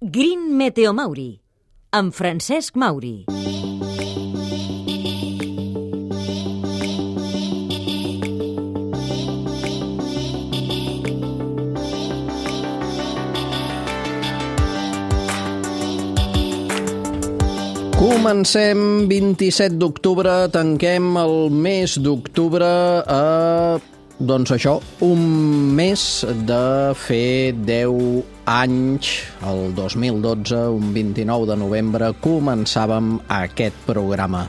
Green Meteo Mauri, amb Francesc Mauri. Comencem 27 d'octubre, tanquem el mes d'octubre doncs això, un mes de fer 10 anys, el 2012, un 29 de novembre, començàvem aquest programa.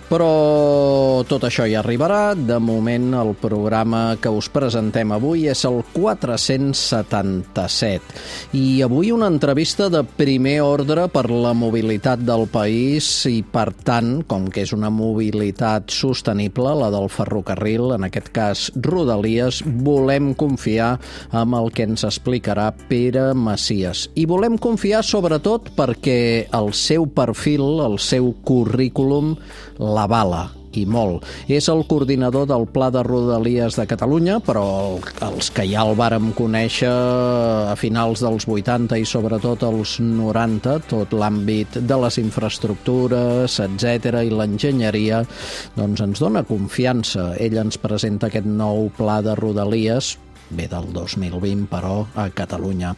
Però tot això ja arribarà. De moment, el programa que us presentem avui és el 477. I avui una entrevista de primer ordre per la mobilitat del país i, per tant, com que és una mobilitat sostenible, la del ferrocarril, en aquest cas Rodalies, volem confiar en el que ens explicarà Pere Macias. I volem confiar sobretot perquè el seu perfil, el seu currículum, l'avala, i molt. És el coordinador del Pla de Rodalies de Catalunya, però els que ja el vàrem conèixer a finals dels 80 i sobretot als 90, tot l'àmbit de les infraestructures, etc. i l'enginyeria, doncs ens dona confiança. Ell ens presenta aquest nou Pla de Rodalies, ve del 2020, però a Catalunya.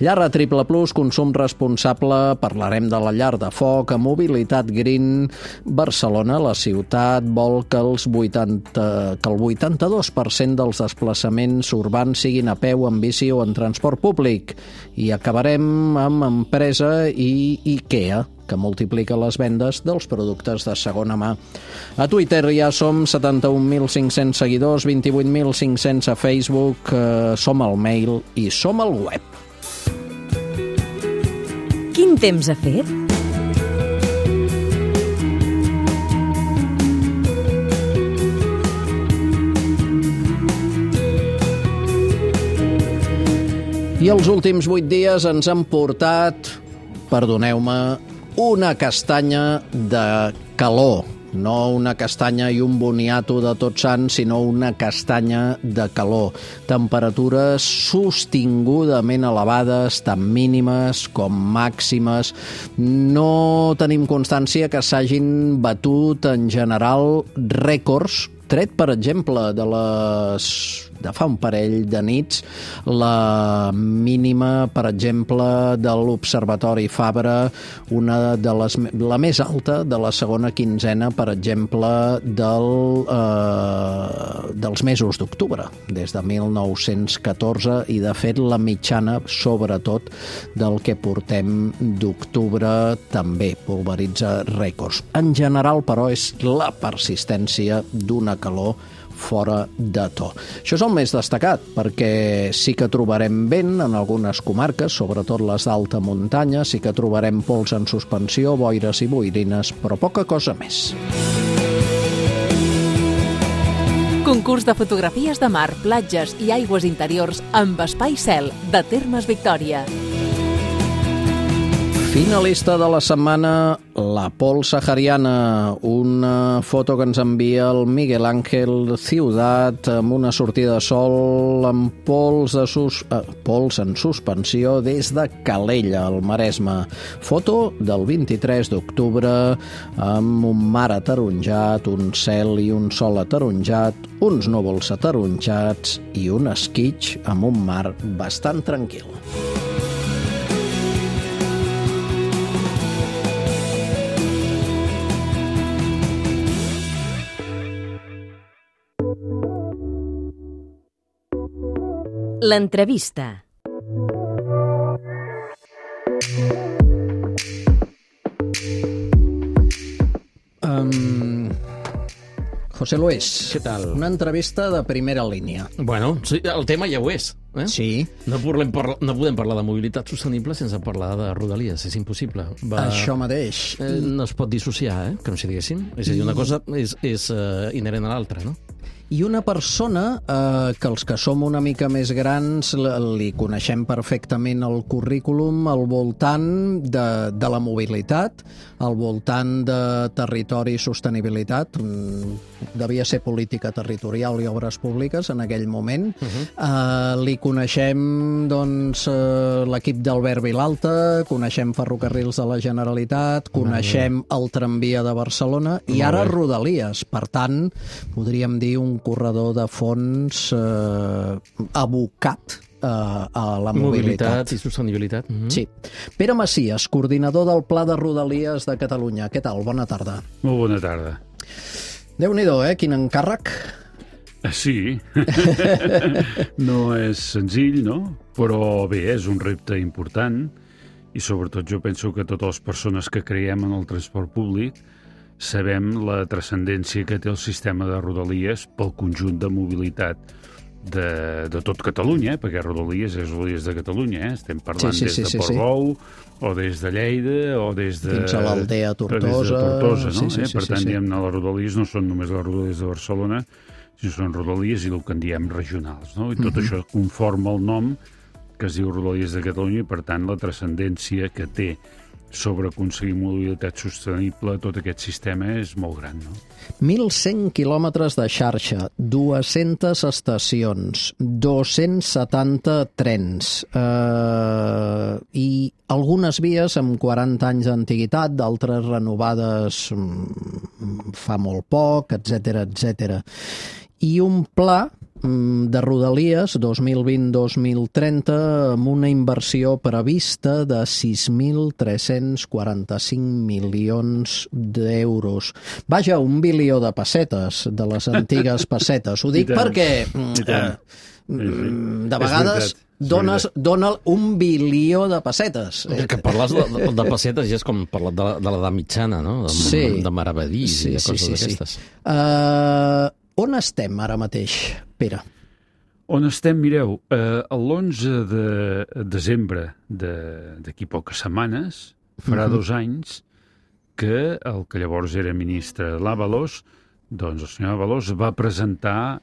Llar a Triple Plus, consum responsable, parlarem de la llar de foc, a Mobilitat Green, Barcelona, la ciutat, vol que el 82% dels desplaçaments urbans siguin a peu, en bici o en transport públic. I acabarem amb empresa i IKEA, que multiplica les vendes dels productes de segona mà. A Twitter ja som 71.500 seguidors, 28.500 a Facebook, som al mail i som al web. Quin temps ha fet? I els últims 8 dies ens han portat, perdoneu-me, una castanya de calor. No una castanya i un boniato de Tots Sants, sinó una castanya de calor. Temperatures sostingudament elevades, tant mínimes com màximes. No tenim constància que s'hagin batut en general rècords, tret, per exemple, de fa un parell de nits, la mínima, per exemple, de l'Observatori Fabra, la més alta de la segona quinzena, per exemple, dels mesos d'octubre, des de 1914, i de fet la mitjana, sobretot, del que portem d'octubre, també pulveritza rècords. En general, però, és la persistència d'una calor fora de to. Això és el més destacat, perquè sí que trobarem vent en algunes comarques, sobretot les d'alta muntanya, sí que trobarem pols en suspensió, boires i boirines, però poca cosa més. Concurs de fotografies de mar, platges i aigües interiors amb Espai Cel, de Termes Victòria. Finalista de la setmana, la pols sahariana, una foto que ens envia el Miguel Ángel Ciudat amb una sortida de sol amb pols en suspensió des de Calella, al Maresme. Foto del 23 d'octubre amb un mar ataronjat, un cel i un sol ataronjat, uns núvols ataronjats i un esquitx amb un mar bastant tranquil. L'entrevista. José Luis, què tal? Una entrevista de primera línia. Bueno, sí, el tema ja ho és. Sí. No podem parlar de mobilitat sostenible sense parlar de Rodalies, és impossible. Això mateix. No es pot dissociar, com si diguéssim. És a dir, una cosa és inherent a l'altra, no? I una persona que els que som una mica més grans li coneixem perfectament el currículum al voltant de la mobilitat, al voltant de territori i sostenibilitat. Devia ser política territorial i obres públiques en aquell moment. Li coneixem doncs, l'equip d'Albert Vilalta, coneixem Ferrocarrils de la Generalitat, coneixem el tramvia de Barcelona i ara Rodalies. Per tant, podríem dir un corredor de fons abocat a la mobilitat. I sostenibilitat. Sí. Pere Macias, coordinador del Pla de Rodalies de Catalunya. Què tal? Bona tarda. Molt bona tarda. Déu-n'hi-do, quin encàrrec. Sí, no és senzill, no? Però bé, és un repte important i sobretot jo penso que totes les persones que creiem en el transport públic sabem la transcendència que té el sistema de Rodalies pel conjunt de mobilitat de tot Catalunya, perquè Rodalies és Rodalies de Catalunya, estem parlant des de Portbou o des de Lleida o des de... Fins a l'Aldea Tortosa. No? Per tant, diguem-ne, les Rodalies no són només les Rodalies de Barcelona, sinó són Rodalies i el que en diem regionals, no? I tot això conforma el nom que es diu Rodalies de Catalunya i, per tant, la transcendència que té sobre aconseguir mobilitat sostenible, tot aquest sistema és molt gran, no? 1.100 quilòmetres de xarxa, 200 estacions, 270 trens i algunes vies amb 40 anys d'antiguitat, d'altres renovades fa molt poc, etc. I un pla de Rodalies 2020-2030 amb una inversió prevista de 6.345 milions d'euros. Vaja, 1 bilió de pessetes, de les antigues pessetes. Ho dic perquè de vegades dona 1 bilió de pessetes. Que parles de pessetes ja és com parlar de l'edat mitjana, no? De maravedís i de coses d'aquestes. On estem ara mateix, Pere? On estem, mireu, l'11 de desembre d'aquí poques setmanes farà 2 anys que el que llavors era ministre l'Ábalos, doncs el senyor Ábalos va presentar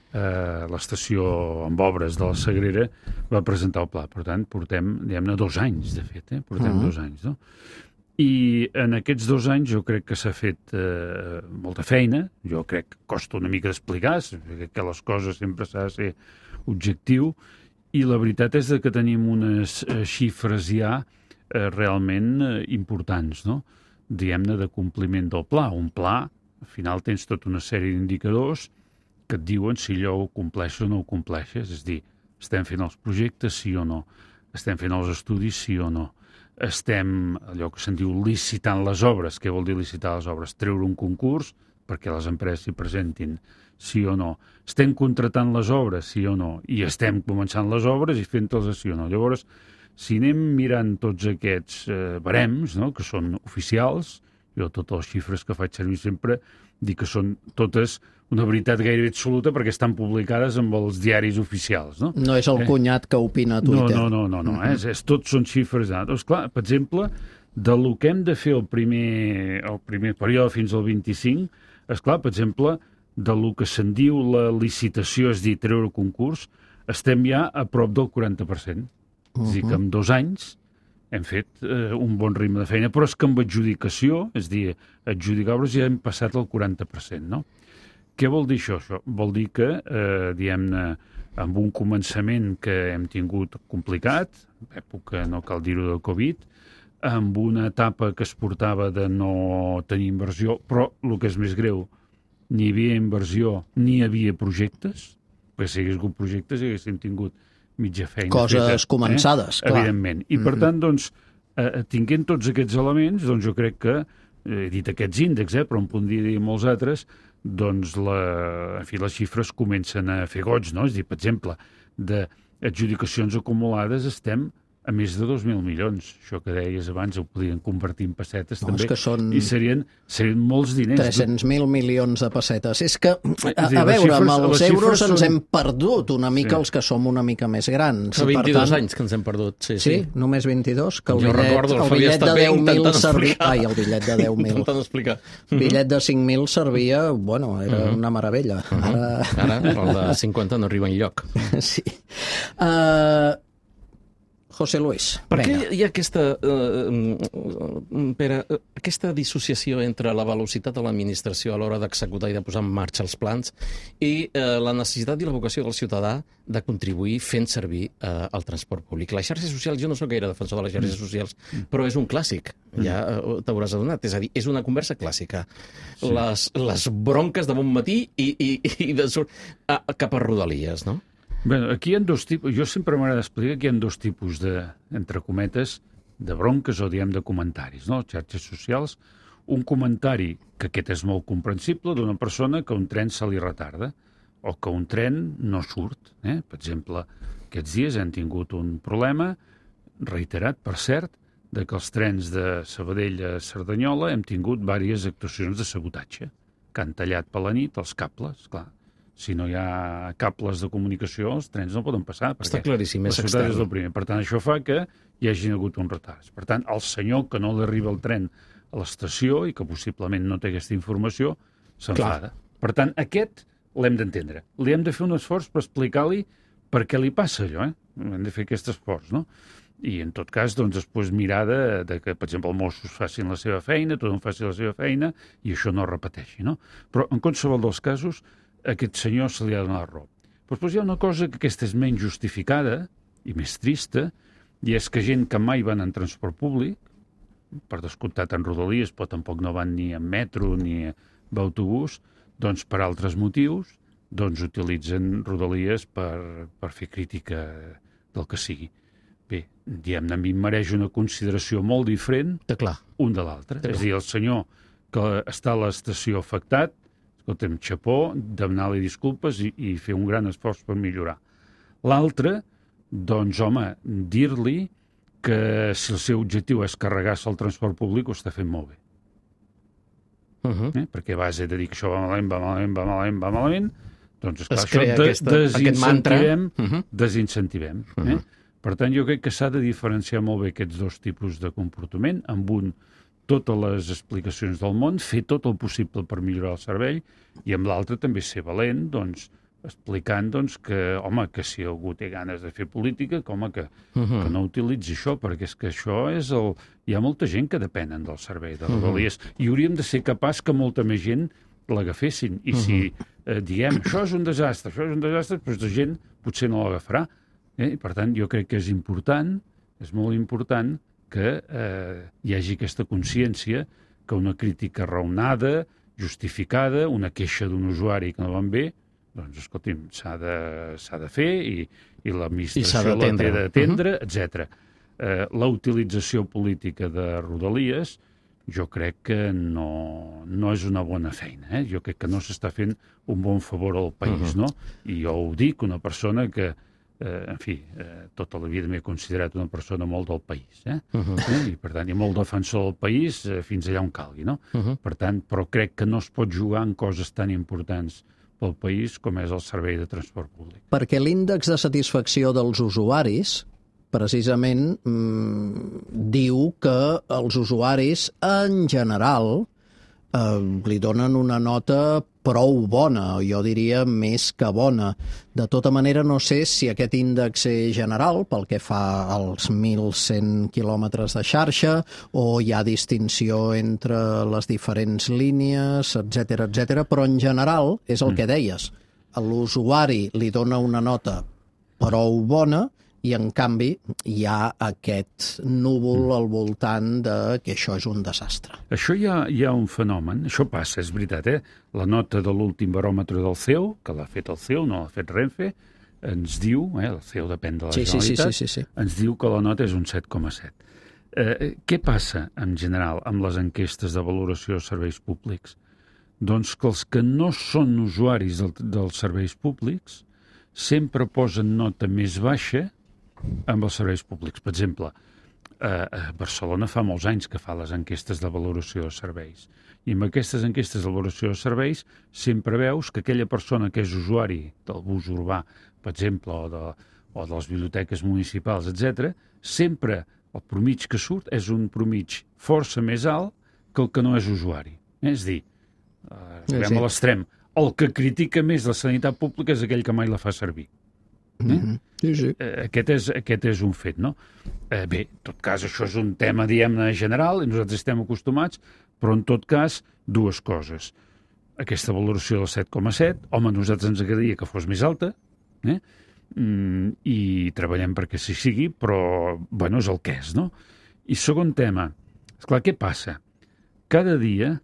l'estació amb obres de la Sagrera, va presentar el pla. Per tant, portem, diguem-ne, 2 anys, de fet, portem 2 anys, no? I en aquests 2 anys jo crec que s'ha fet molta feina, jo crec que costa una mica d'explicar, que les coses sempre s'ha de ser objectiu, i la veritat és que tenim unes xifres ja realment importants, no? Diguem-ne, de compliment del pla. Un pla, al final tens tota una sèrie d'indicadors que et diuen si allò ho compleixes o no ho compleixes, és a dir, estem fent els projectes, sí o no, estem fent els estudis, sí o no, estem, allò que se'n diu, licitant les obres. Què vol dir licitar les obres? Treure un concurs perquè les empreses s'hi presentin, sí o no. Estem contratant les obres, sí o no, i estem començant les obres i fent-les sí o no. Llavors, si anem mirant tots aquests barems, no?, que són oficials, jo totes les xifres que faig servir sempre dic que són totes una veritat gairebé absoluta perquè estan publicades amb els diaris oficials, no? No és el cunyat que opina a Twitter. No. Tots són xifres. Doncs clar, per exemple, del que hem de fer el primer període fins al 25, esclar, per exemple, del que se'n diu la licitació, és dir, treure concurs, estem ja a prop del 40%. És a dir, que en 2 anys hem fet un bon ritme de feina, però és que amb adjudicació, és a dir, adjudicar obres ja hem passat el 40%, no? Què vol dir això? Això vol dir que, diguem-ne, amb un començament que hem tingut complicat, època, no cal dir-ho, del Covid, amb una etapa que es portava de no tenir inversió, però el que és més greu, ni hi havia inversió ni hi havia projectes, perquè si hagués hagut projectes haguéssim tingut mitja feina coses començades, clar. Evidentment. I per tant, doncs, tinguent tots aquests elements, doncs jo crec que, he dit aquests índexs, però en podria dir molts altres, doncs les xifres comencen a fer goig, no? És a dir, per exemple, d'adjudicacions acumulades estem a més de 2.000 milions. Això que deies abans ho podien convertir en pessetes també, és que són... i serien molts diners. 300.000 milions de pessetes. És que, a veure, amb els euros ens hem perdut una mica els que som una mica més grans. Fa 22 anys que ens hem perdut. Sí, només 22, que el bitllet de 10.000 servia... Ai, el bitllet de 10.000. Intentant explicar. Bitllet de 5.000 servia, bueno, era una meravella. Ara, el de 50 no arriba enlloc. Sí. José Luis, per què hi ha aquesta dissociació entre la velocitat de l'administració a l'hora d'executar i de posar en marxa els plans i la necessitat i la vocació del ciutadà de contribuir fent servir el transport públic? Les xarxes socials, jo no sóc gaire defensor de les xarxes socials, però és un clàssic, ja t'hauràs adonat. És a dir, és una conversa clàssica. Sí. Les bronques de bon matí i cap a Rodalies, no? Bé, aquí hi ha dos tipus, jo sempre m'agrada explicar que hi ha dos tipus de, entre cometes, de bronques o, diguem, de comentaris, no? Xarxes socials, un comentari, que aquest és molt comprensible, d'una persona que un tren se li retarda, o que un tren no surt. Per exemple, aquests dies hem tingut un problema, reiterat, per cert, de que els trens de Sabadell a Cerdanyola hem tingut diverses actuacions de sabotatge, que han tallat per la nit els cables, clar. Si no hi ha cables de comunicació, els trens no poden passar. Està claríssim, és extern. És el primer. Per tant, això fa que hi hagi hagut un retard. Per tant, el senyor que no li arriba el tren a l'estació i que possiblement no té aquesta informació, s'enfada. Per tant, aquest l'hem d'entendre. Li hem de fer un esforç per explicar-li per què li passa allò. Hem de fer aquest esforç, no? I, en tot cas, doncs, després mirar de que, per exemple, els Mossos facin la seva feina, tothom faci la seva feina, i això no es repeteixi, no? Però, en qualsevol dels casos, a aquest senyor se li ha donat raó. Però després hi ha una cosa que aquesta és menys justificada i més trista, i és que gent que mai van en transport públic, per descomptat en Rodalies, però tampoc no van ni en metro ni en autobús, doncs per altres motius, doncs utilitzen Rodalies per fer crítica del que sigui. Bé, diguem-ne, a mi em mereix una consideració molt diferent un de l'altre. És a dir, el senyor que està a l'estació afectat, escolta'm, xapó, demanar-li disculpes i fer un gran esforç per millorar. L'altre, doncs, home, dir-li que si el seu objectiu és carregar-se el transport públic, ho està fent molt bé. Perquè a base de dir que això va malament, doncs, esclar, això desincentivem. Per tant, jo crec que s'ha de diferenciar molt bé aquests dos tipus de comportament, amb un totes les explicacions del món, fer tot el possible per millorar el servei, i amb l'altre també ser valent, doncs, explicant doncs, que, home, que si algú té ganes de fer política, que no utilitzi això, perquè és que això és el... Hi ha molta gent que depenen del servei de Rodalies, i hauríem de ser capaç que molta més gent l'agafessin. I si diem, això és un desastre, doncs la gent potser no l'agafarà. I, per tant, jo crec que és important, és molt important, que hi hagi aquesta consciència que una crítica raonada, justificada, una queixa d'un usuari que no van bé, doncs, escolti'm, s'ha de fer i l'administració la té d'atendre, etc. La utilització política de Rodalies jo crec que no és una bona feina. Jo crec que no s'està fent un bon favor al país, no? I jo ho dic, una persona que en fi, tota la vida m'he considerat una persona molt del país, i per tant, i molt defensor del país fins allà on calgui, no? Per tant, però crec que no es pot jugar en coses tan importants pel país com és el servei de transport públic. Perquè l'índex de satisfacció dels usuaris precisament diu que els usuaris en general li donen una nota prou bona, jo diria més que bona. De tota manera, no sé si aquest índex és general pel que fa als 1.100 quilòmetres de xarxa o hi ha distinció entre les diferents línies, etc., però en general és el que deies. A l'usuari li dona una nota prou bona i, en canvi, hi ha aquest núvol al voltant de que això és un desastre. Això hi ha un fenomen, això passa, és veritat, La nota de l'últim baròmetre del CEO, que l'ha fet el CEO, no l'ha fet Renfe, ens diu, el CEO depèn de la Generalitat, ens diu que la nota és un 7,7. Què passa, en general, amb les enquestes de valoració de serveis públics? Doncs que els que no són usuaris dels serveis públics sempre posen nota més baixa amb els serveis públics. Per exemple, a Barcelona fa molts anys que fa les enquestes de valoració de serveis. I amb aquestes enquestes de valoració de serveis sempre veus que aquella persona que és usuari del bus urbà, per exemple, o de les biblioteques municipals, etc., sempre el promig que surt és un promig força més alt que el que no és usuari. És a dir, arribem a l'extrem. El que critica més la sanitat pública és aquell que mai la fa servir. Sí. Aquest és un fet, no? Bé, en tot cas, això és un tema, diguem-ne, general, i nosaltres estem acostumats, però en tot cas, dues coses. Aquesta valoració del 7,7, home, a nosaltres ens agradaria que fos més alta, i treballem perquè sí sigui, però, bueno, és el que és, no? I segon tema, esclar, què passa? Cada dia,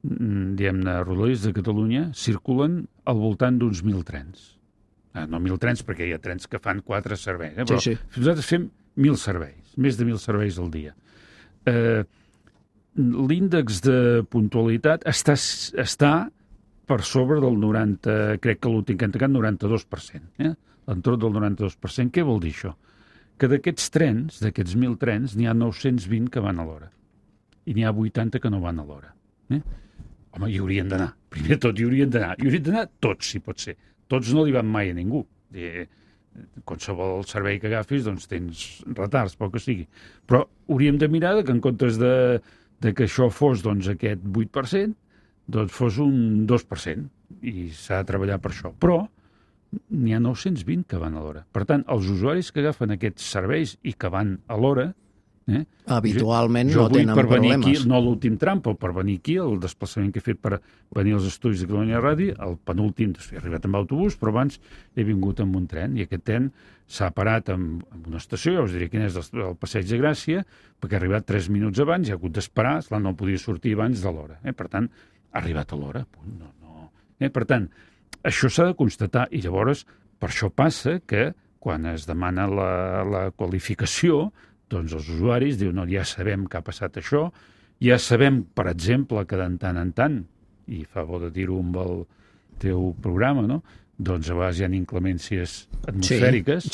diguem-ne, rodalies de Catalunya circulen al voltant d'uns 1.000 trens. No 1.000 trens, perquè hi ha trens que fan 4 serveis, però nosaltres fem 1.000 serveis, més de 1.000 serveis al dia. L'índex de puntualitat està per sobre del 90, crec que l'últim que han tancat, 92%. L'entorn del 92%. Què vol dir això? Que d'aquests trens, d'aquests 1.000 trens, n'hi ha 920 que van a l'hora. I n'hi ha 80 que no van a l'hora. Home, hi haurien d'anar. Primer de tot, hi haurien d'anar. Hi haurien d'anar tots, si pot ser. Tots no li van mai a ningú. Qualsevol servei que agafis, doncs tens retards, pel que sigui. Però hauríem de mirar que en comptes de que això fos doncs, aquest 8%, doncs fos un 2%, i s'ha de treballar per això. Però n'hi ha 920 que van a l'hora. Per tant, els usuaris que agafen aquests serveis i que van a l'hora, habitualment no tenen problemes. Aquí, no l'últim tram, però per venir aquí, el desplaçament que he fet per venir als estudis de Catalunya Ràdio, el penúltim, he arribat amb autobús, però abans he vingut amb un tren, i aquest tren s'ha parat en una estació, ja us diré quin és el Passeig de Gràcia, perquè ha arribat 3 minuts abans, i ha hagut d'esperar, no podia sortir abans de l'hora. Per tant, ha arribat a l'hora. Per tant, això s'ha de constatar, i llavors per això passa que quan es demana la qualificació, doncs els usuaris diuen, no, ja sabem que ha passat això, ja sabem, per exemple, que de tant en tant, i fa bo de dir-ho amb el teu programa, no?, doncs a vegades hi ha inclemències atmosfèriques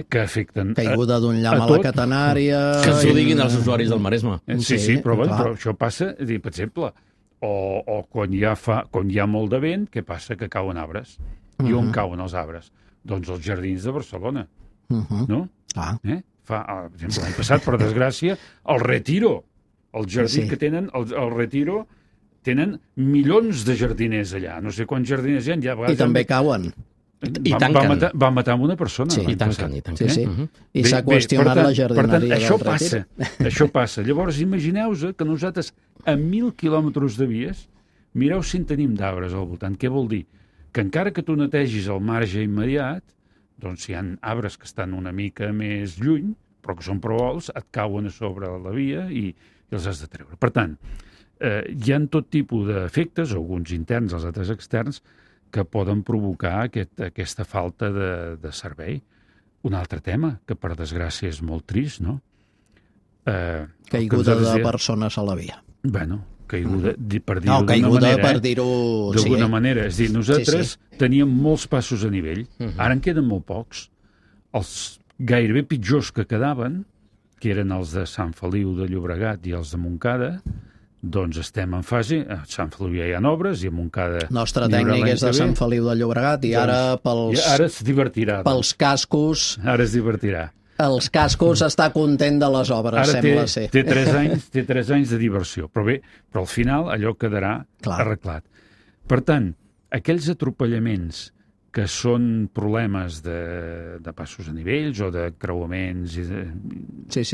que afecten caiguda d'un llamp a la catenària... Que ens ho diguin els usuaris del Maresme. Sí, però això passa, per exemple, o quan hi ha molt de vent, què passa? Que cauen arbres. I on cauen els arbres? Doncs als jardins de Barcelona. No? Per exemple, l'any passat, per desgràcia, el Retiro, el jardí que tenen, el Retiro, tenen milions de jardiners allà. No sé quants jardiners hi ha. I també cauen. I tanquen. Va matar una persona. I tanquen. I s'ha qüestionat la jardineria del Retiro. Això passa. Llavors, imagineu-vos que nosaltres, a 1.000 quilòmetres de vies, mireu si en tenim d'arbres al voltant. Què vol dir? Que encara que tu netegis el marge immediat, doncs hi ha arbres que estan una mica més lluny, però que són prou alts, et cauen a sobre la via i els has de treure. Per tant, hi ha tot tipus d'efectes, alguns interns, els altres externs, que poden provocar aquesta falta de servei. Un altre tema, que per desgràcia és molt trist, no? Caiguda de persones a la via. Bueno, caiguda, per dir-ho d'alguna manera. Per dir-ho... D'alguna manera. És a dir, nosaltres teníem molts passos a nivell, ara en queden molt pocs. Els gairebé pitjors que quedaven, que eren els de Sant Feliu de Llobregat i els de Montcada, doncs estem en fase, a Sant Feliu ja hi ha obres i a Montcada... Nostre tècnic és de Sant Feliu de Llobregat i ara Ara es divertirà. Pels cascos... Ara es divertirà. Els cascos està content de les obres, sembla ser. Té 3 anys de diversió, però bé, però al final allò quedarà arreglat. Per tant, aquells atropellaments que són problemes de passos a nivells o de creuaments... Sí.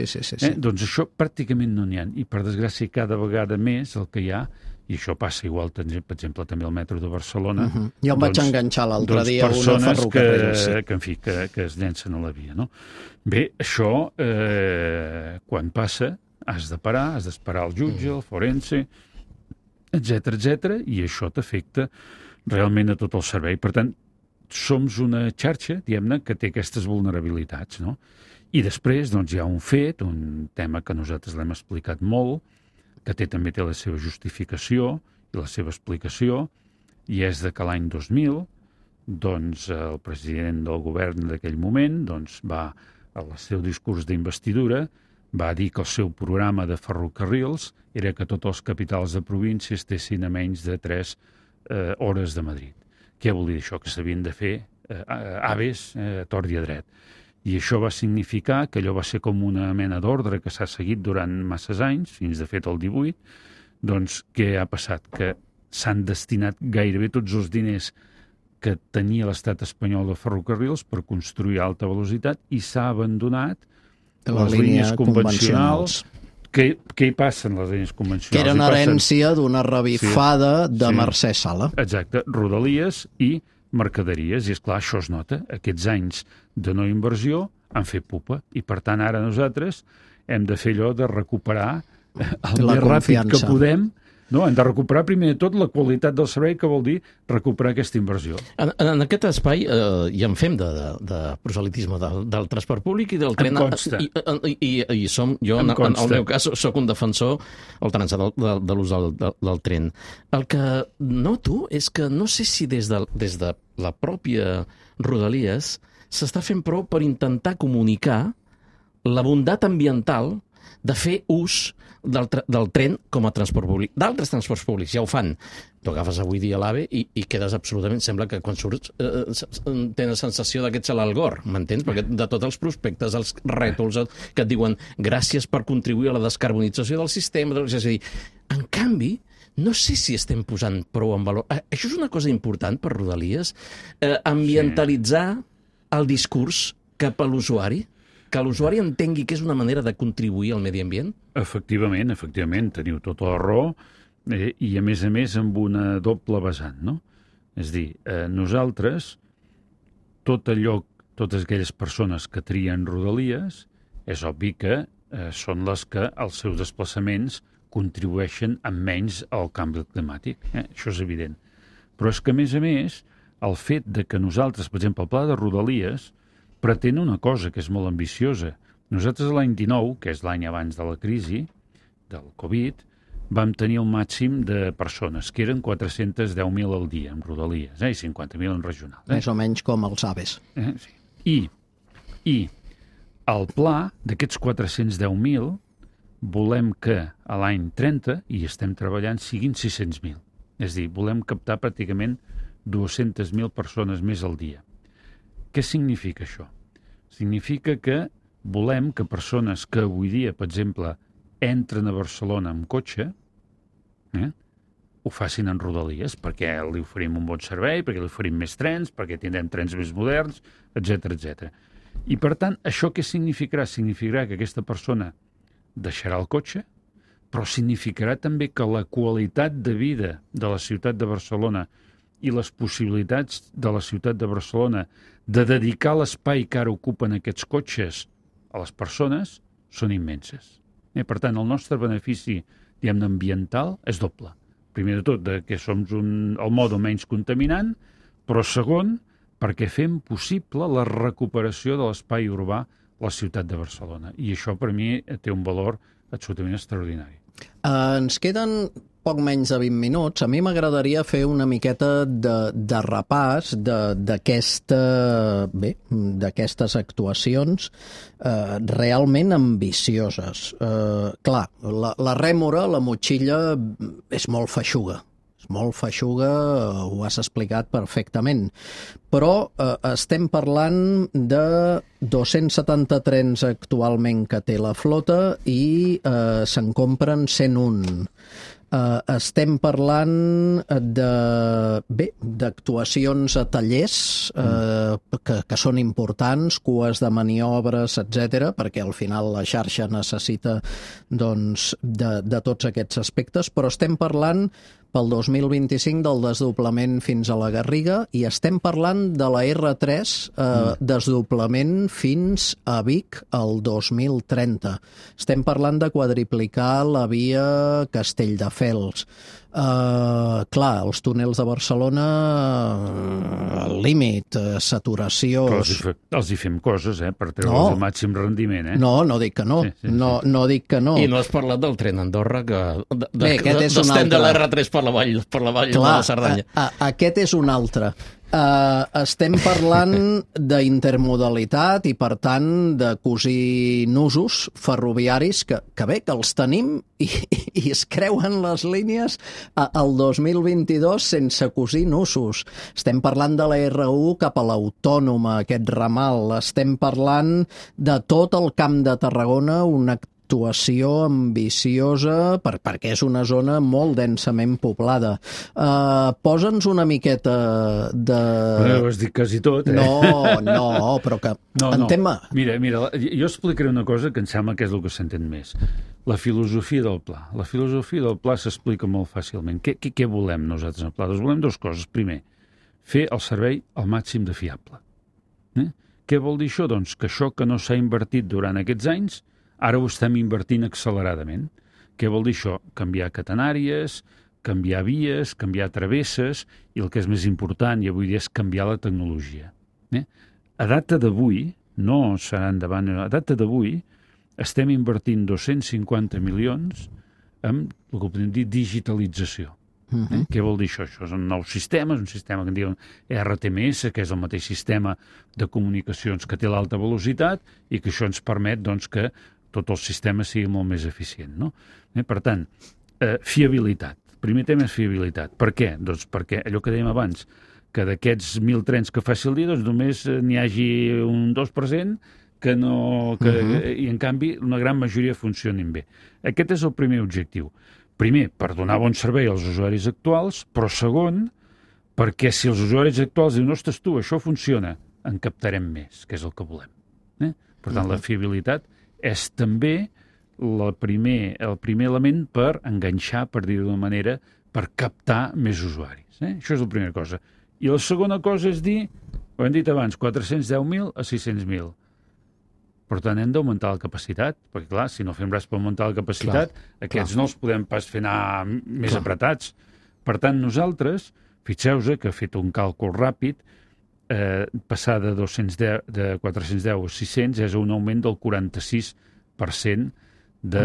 Doncs això pràcticament no n'hi ha. I per desgràcia cada vegada més el que hi ha, i això passa igual, per exemple, també al metro de Barcelona. Jo em vaig enganxar l'altre dia una ferrocarril. Que es llencen a la via, no? Bé, això, quan passa, has de parar, has d'esperar el jutge, el forense, etc, i això t'afecta realment a tot el servei. Per tant, som una xarxa, diguem-ne, que té aquestes vulnerabilitats, no? I després, doncs, hi ha un fet, un tema que nosaltres l'hem explicat molt, que també té la seva justificació i la seva explicació, i és de que l'any 2000 doncs el president del govern d'aquell moment doncs, va, al seu discurs d'investidura, va dir que el seu programa de ferrocarrils era que tots els capitals de província estessin a menys de 3 hores de Madrid. Què vol dir això? Que s'havien de fer aves tort i a dret. I això va significar que allò va ser com una mena d'ordre que s'ha seguit durant masses anys, fins de fet el 18, doncs què ha passat? Que s'han destinat gairebé tots els diners que tenia l'estat espanyol de ferrocarrils per construir alta velocitat i s'ha abandonat les línies convencionals. Què hi passa en les línies convencionals? Que eren herència d'una revifada de Mercè Sala. Exacte, rodalies i mercaderies, i esclar, això es nota. Aquests anys de no inversió han fet pupa, i per tant ara nosaltres hem de fer allò de recuperar el més ràpid que podem. No, hem de recuperar primer de tot la qualitat del servei, que vol dir recuperar aquesta inversió. En aquest espai ja en fem de proselitisme del transport públic i del tren. Em consta. I jo, en el meu cas, sóc un defensor de l'ús del tren. El que noto és que no sé si des de la pròpia Rodalies s'està fent prou per intentar comunicar la bondat ambiental de fer ús del tren com a transport públic. D'altres transports públics ja ho fan. Tu agafes avui dia l'AVE i quedes absolutament... Sembla que quan surts tens la sensació que ets a l'Algor, m'entens? Perquè de tots els prospectes, els rètols que et diuen gràcies per contribuir a la descarbonització del sistema... És a dir, en canvi, no sé si estem posant prou en valor... Això és una cosa important per Rodalies? Ambientalitzar el discurs cap a l'usuari? Que l'usuari entengui que és una manera de contribuir al medi ambient? Efectivament, teniu tota la raó, i a més amb una doble vessant, no? És dir, nosaltres, totes aquelles persones que trien Rodalies, és obvi que són les que els seus desplaçaments contribueixen amb menys al canvi climàtic. Això és evident. Però és que, a més, el fet de que nosaltres, per exemple, el pla de Rodalies, pretén una cosa que és molt ambiciosa. Nosaltres l'any 19, que és l'any abans de la crisi, del Covid, vam tenir el màxim de persones, que eren 410.000 al dia en Rodalies, i 50.000 en regional. Més o menys com els aves. Sí. I el pla d'aquests 410.000 volem que a l'any 30, i estem treballant, siguin 600.000. És a dir, volem captar pràcticament 200.000 persones més al dia. Què significa això? Significa que volem que persones que avui dia, per exemple, entren a Barcelona amb cotxe, ho facin en Rodalies, perquè li oferim un bon servei, perquè li oferim més trens, perquè tindrem trens més moderns, etc. I, per tant, això què significarà? Significarà que aquesta persona deixarà el cotxe, però significarà també que la qualitat de vida de la ciutat de Barcelona i les possibilitats de la ciutat de Barcelona de dedicar l'espai que ara ocupen aquests cotxes a les persones són immenses. Per tant, el nostre benefici, diguem-ne, ambiental és doble. Primer de tot, que som el mode menys contaminant, però segon, perquè fem possible la recuperació de l'espai urbà a la ciutat de Barcelona. I això, per mi, té un valor absolutament extraordinari. Ens queden poc menys de 20 minuts. A mi m'agradaria fer una miqueta de repàs d'aquestes actuacions realment ambicioses. Clar, la rèmora, la motxilla, és molt feixuga. Molt feixuga, ho has explicat perfectament. Però estem parlant de 270 trens actualment que té la flota i se'n compren 101. Estem parlant d'actuacions a tallers que són importants, cues de maniobres, etc, perquè al final la xarxa necessita de tots aquests aspectes, però estem parlant pel 2025 del desdoblament fins a la Garriga i estem parlant de la R3 desdoblament fins a Vic el 2030. Estem parlant de quadriplicar la via Castelldefels. Clar, els túnels de Barcelona, al límit, saturació... Però els hi fem coses, per treure'ls el màxim rendiment, No, no dic que no. No dic que no. I no has parlat del tren Andorra, que aquest és un altre. de l'R3 per la vall de la Cerdanya. Aquest és un altre. Estem parlant d'intermodalitat i, per tant, de cosir nusos ferroviaris que els tenim i es creuen les línies al 2022 sense cosir nusos. Estem parlant de la R1 cap a l'Autònoma, aquest ramal. Estem parlant de tot el Camp de Tarragona, una actuació ambiciosa perquè és una zona molt densament poblada. Posa'ns una miqueta de... Ho has dit quasi tot, eh? No, però que... Entén-me. Mira, jo explicaré una cosa que em sembla que és el que s'entén més. La filosofia del pla. La filosofia del pla s'explica molt fàcilment. Què volem nosaltres en el pla? Doncs volem dues coses. Primer, fer el servei al màxim de fiable. Què vol dir això? Doncs que això que no s'ha invertit durant aquests anys ara ho estem invertint acceleradament. Què vol dir això? Canviar catenàries, canviar vies, canviar travesses i el que és més important i avui dia és canviar la tecnologia. A data d'avui, no serà endavant, a data d'avui estem invertint 250 milions en el que podem dir digitalització. Què vol dir això? Això és un nou sistema, és un sistema que en diuen RTMS, que és el mateix sistema de comunicacions que té l'alta velocitat i que això ens permet doncs, que tot el sistema sigui molt més eficient. No? Per tant, fiabilitat. El primer tema és fiabilitat. Per què? Doncs perquè allò que dèiem abans, que d'aquests 1.000 trens que faci el dia, doncs només n'hi hagi un 2% i en canvi una gran majoria funcionin bé. Aquest és el primer objectiu. Primer, per donar bon servei als usuaris actuals, però segon, perquè si els usuaris actuals diuen, ostres tu, això funciona, en captarem més, que és el que volem. Per tant, la fiabilitat és també el primer element per enganxar, per dir-ho d'una manera, per captar més usuaris. Això és la primera cosa. I la segona cosa és dir, ho hem dit abans, 410.000 a 600.000. Per tant, hem d'augmentar la capacitat, perquè, clar, si no fem res per augmentar la capacitat, aquests no els podem pas fer anar més apretats. Per tant, nosaltres, fixeu-vos que he fet un càlcul ràpid, passar de 410 a 600 és un augment del 46% de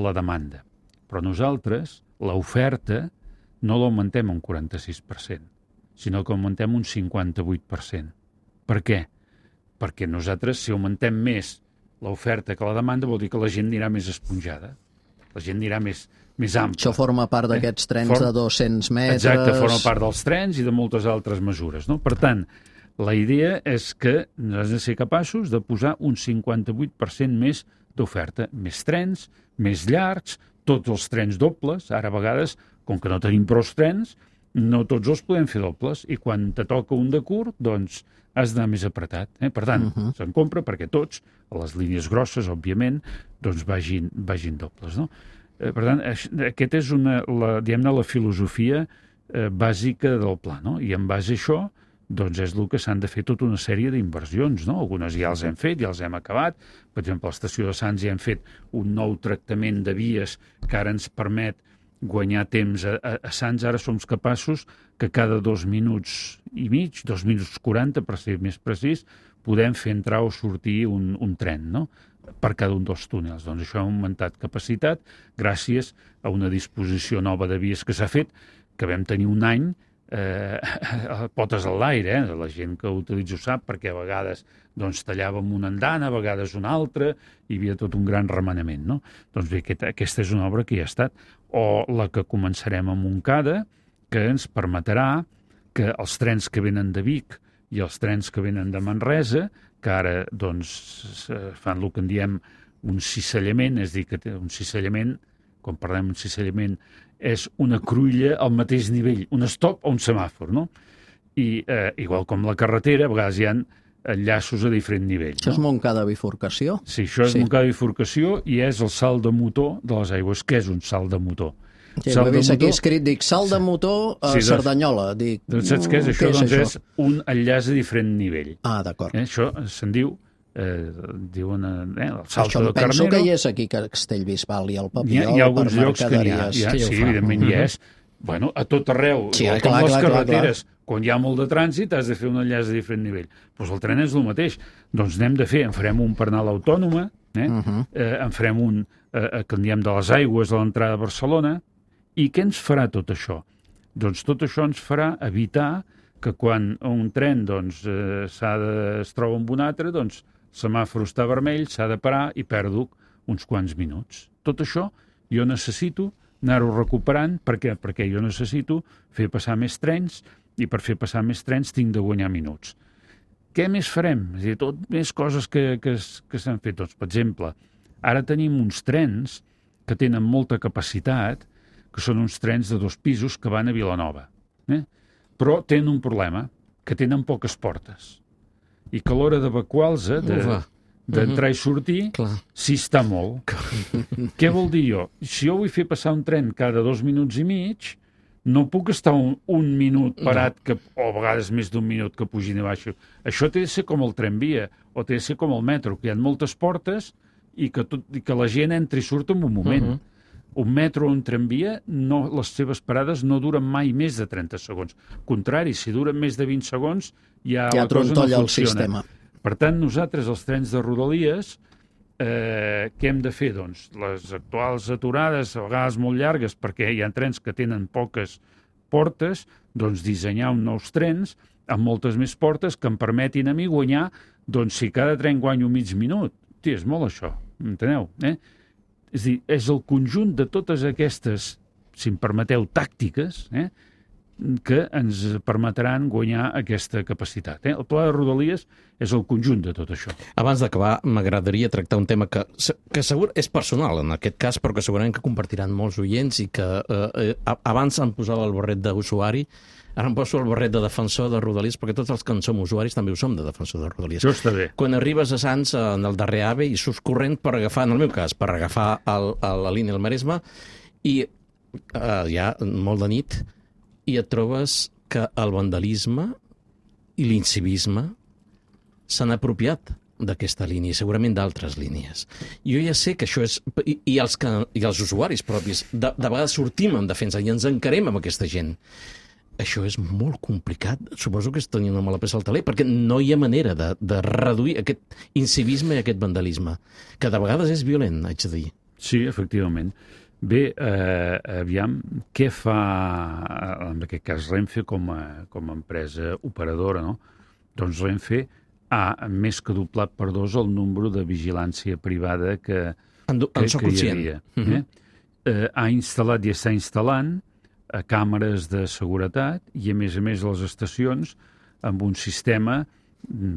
la demanda. Però nosaltres, l'oferta, no l'augmentem un 46%, sinó que augmentem un 58%. Per què? Perquè nosaltres, si augmentem més l'oferta que la demanda, vol dir que la gent anirà més esponjada. La gent anirà més ampla. Això forma part d'aquests trens de 200 metres... Exacte, forma part dels trens i de moltes altres mesures. No? Per tant, la idea és que has de ser capaços de posar un 58% més d'oferta. Més trens, més llargs, tots els trens dobles. Ara, a vegades, com que no tenim prou trens, no tots els podem fer dobles. I quan te toca un de curt, doncs has d'anar més apretat. Per tant, se'n compra perquè tots, a les línies grosses, òbviament, doncs vagin dobles. No? Per tant, aquesta és la filosofia bàsica del pla. No? I en base a això, doncs és el que s'han de fer tota una sèrie d'inversions. No? Algunes ja els hem fet, ja els hem acabat. Per exemple, a l'estació de Sants ja hem fet un nou tractament de vies que ara ens permet guanyar temps. A Sants ara som capaços que cada 2 minuts i mig, 2 minuts 40, per ser més precís, podem fer entrar o sortir un tren, no? Per cada un dels túnels. Doncs això ha augmentat capacitat gràcies a una disposició nova de vies que s'ha fet, que vam tenir un any potes a l'aire, la gent que ho utilitza ho sap, perquè a vegades doncs, tallàvem una andana, a vegades una altra, hi havia tot un gran remenament. No? Doncs bé, aquesta és una obra que ja ha estat. O la que començarem a Montcada, que ens permetrà que els trens que venen de Vic i els trens que venen de Manresa, que ara doncs, fan el que en diem un cissallament, és a dir, que un cissallament, quan parlem d'un cissallament, és una cruïlla al mateix nivell, un stop o un semàfor, no? I igual com la carretera, a vegades hi ha enllaços a diferent nivell. Això és Montcada bifurcació? Sí, això és Montcada bifurcació i és el salt de motor de les aigües. Què és un salt de motor? Sí, ho he vist aquí escrit, dic, salt de motor a Cerdanyola. Dic, saps què és? Això doncs és un enllaç a diferent nivell. Ah, d'acord. Això se'n diu, diuen el salto de Carnero. Penso que hi és aquí, a Castellbisbal i al Papiol. Hi ha alguns llocs que n'hi ha. Sí, evidentment hi és. Bueno, a tot arreu, com les carreteres, quan hi ha molt de trànsit has de fer un enllaç a diferent nivell. Doncs el tren és el mateix. Doncs n'hem de fer, en farem un per anar a l'Autònoma, en farem un que en diem de les aigües a l'entrada de Barcelona. I què ens farà tot això? Doncs tot això ens farà evitar que quan un tren doncs, es troba amb un altre, doncs el semàfor està vermell, s'ha de parar i perdo uns quants minuts. Tot això jo necessito anar-ho recuperant. Per què? Perquè jo necessito fer passar més trens i per fer passar més trens tinc de guanyar minuts. Què més farem? És a dir, tot més coses que s'han fet. Doncs, per exemple, ara tenim uns trens que tenen molta capacitat, que són uns trens de 2 pisos que van a Vilanova. Però tenen un problema, que tenen poques portes. I que a l'hora d'evacuar-los, d'entrar i sortir, sí està molt. Què vol dir jo? Si jo vull fer passar un tren cada 2 minuts i mig, no puc estar un minut parat, o a vegades més d'un minut que pugin i baixo. Això té de ser com el tramvia, o té de ser com el metro, que hi ha moltes portes i que la gent entra i surt en un moment. Un metro o un tramvia, les seves parades no duren mai més de 30 segons. Al contrari, si duren més de 20 segons, ja la cosa no funciona. El sistema. Per tant, nosaltres, els trens de Rodalies, què hem de fer? Doncs les actuals aturades, a vegades molt llargues, perquè hi ha trens que tenen poques portes, doncs dissenyar uns nous trens amb moltes més portes que em permetin a mi guanyar, doncs si cada tren guanyo mig minut. Hosti, és molt això, enteneu? És a dir, és el conjunt de totes aquestes, si em permeteu, tàctiques, que ens permetran guanyar aquesta capacitat. El pla de Rodalies és el conjunt de tot això. Abans d'acabar, m'agradaria tractar un tema que segur és personal en aquest cas, però que segurament que compartiran molts oients i que abans em posava el barret d'usuari, ara em poso el barret de defensor de Rodalies, perquè tots els que en som usuaris també ho som de defensor de Rodalies. Això està bé. Quan arribes a Sants, en el darrer AVE, i surts corrent per agafar, en el meu cas, per agafar la línia del Maresme, i ja molt de nit, i et trobes que el vandalisme i l'incivisme s'han apropiat d'aquesta línia, i segurament d'altres línies. Jo ja sé que això és... I els usuaris propis, de vegades sortim en defensa i ens encarem amb aquesta gent. Això és molt complicat. Suposo que és tenir una mala peça al taler, perquè no hi ha manera de reduir aquest incivisme i aquest vandalisme, que de vegades és violent, haig de dir. Sí, efectivament. Bé, aviam, què fa, en aquest cas, Renfe com a empresa operadora, no? Doncs Renfe ha més que doblat per 2 el número de vigilància privada que hi havia. Ha instal·lat i està instal·lant càmeres de seguretat i, a més, les estacions amb un sistema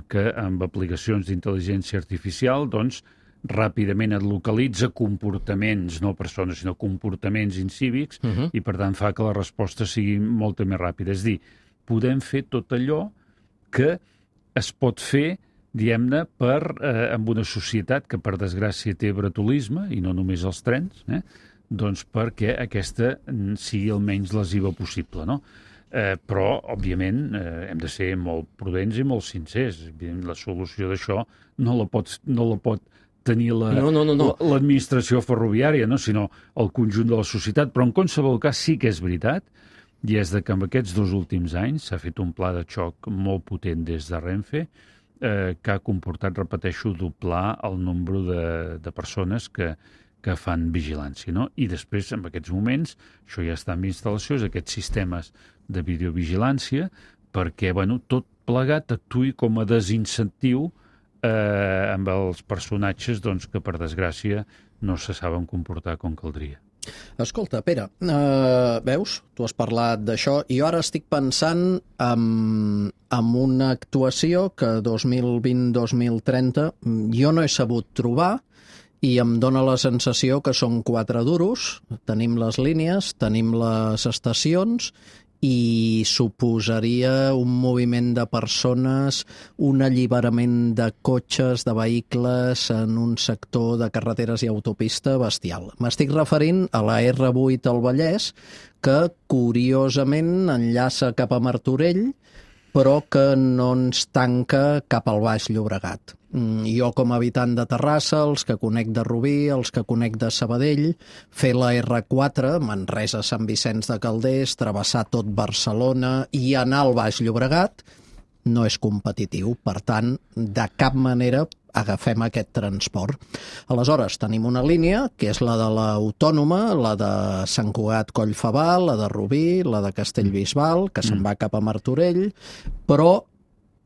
que, amb aplicacions d'intel·ligència artificial, doncs, ràpidament et localitza comportaments, no persones, sinó comportaments incívics, i, per tant, fa que la resposta sigui molt més ràpida. És a dir, podem fer tot allò que es pot fer, diguem-ne, amb una societat que, per desgràcia, té bratolisme, i no només els trens, doncs perquè aquesta sigui el menys lesiva possible, no? Però, òbviament, hem de ser molt prudents i molt sincers. La solució d'això no la pot tenir l'administració ferroviària, no? Sinó el conjunt de la societat. Però en qualsevol cas sí que és veritat, i és que en aquests 2 últims anys s'ha fet un pla de xoc molt potent des de Renfe, que ha comportat, repeteixo, doblar el nombre de persones que fan vigilància, no? I després, en aquests moments, això ja està en instal·lacions, aquests sistemes de videovigilància, perquè, tot plegat actuï com a desincentiu amb els personatges que, per desgràcia, no se saben comportar com caldria. Escolta, Pere, veus? Tu has parlat d'això i jo ara estic pensant en una actuació que 2020-2030 jo no he sabut trobar i em dóna la sensació que són 4 duros, tenim les línies, tenim les estacions i suposaria un moviment de persones, un alliberament de cotxes, de vehicles en un sector de carreteres i autopista bestial. M'estic referint a la R8 al Vallès, que curiosament enllaça cap a Martorell, però que no ens tanca cap al Baix Llobregat. Jo, com a habitant de Terrassa, els que conec de Rubí, els que conec de Sabadell, fer la R4, Manresa, Sant Vicenç de Calders, travessar tot Barcelona i anar al Baix Llobregat, no és competitiu. Per tant, de cap manera agafem aquest transport. Aleshores, tenim una línia, que és la de l'Autònoma, la de Sant Cugat Collfabal, la de Rubí, la de Castellbisbal, que se'n va cap a Martorell, però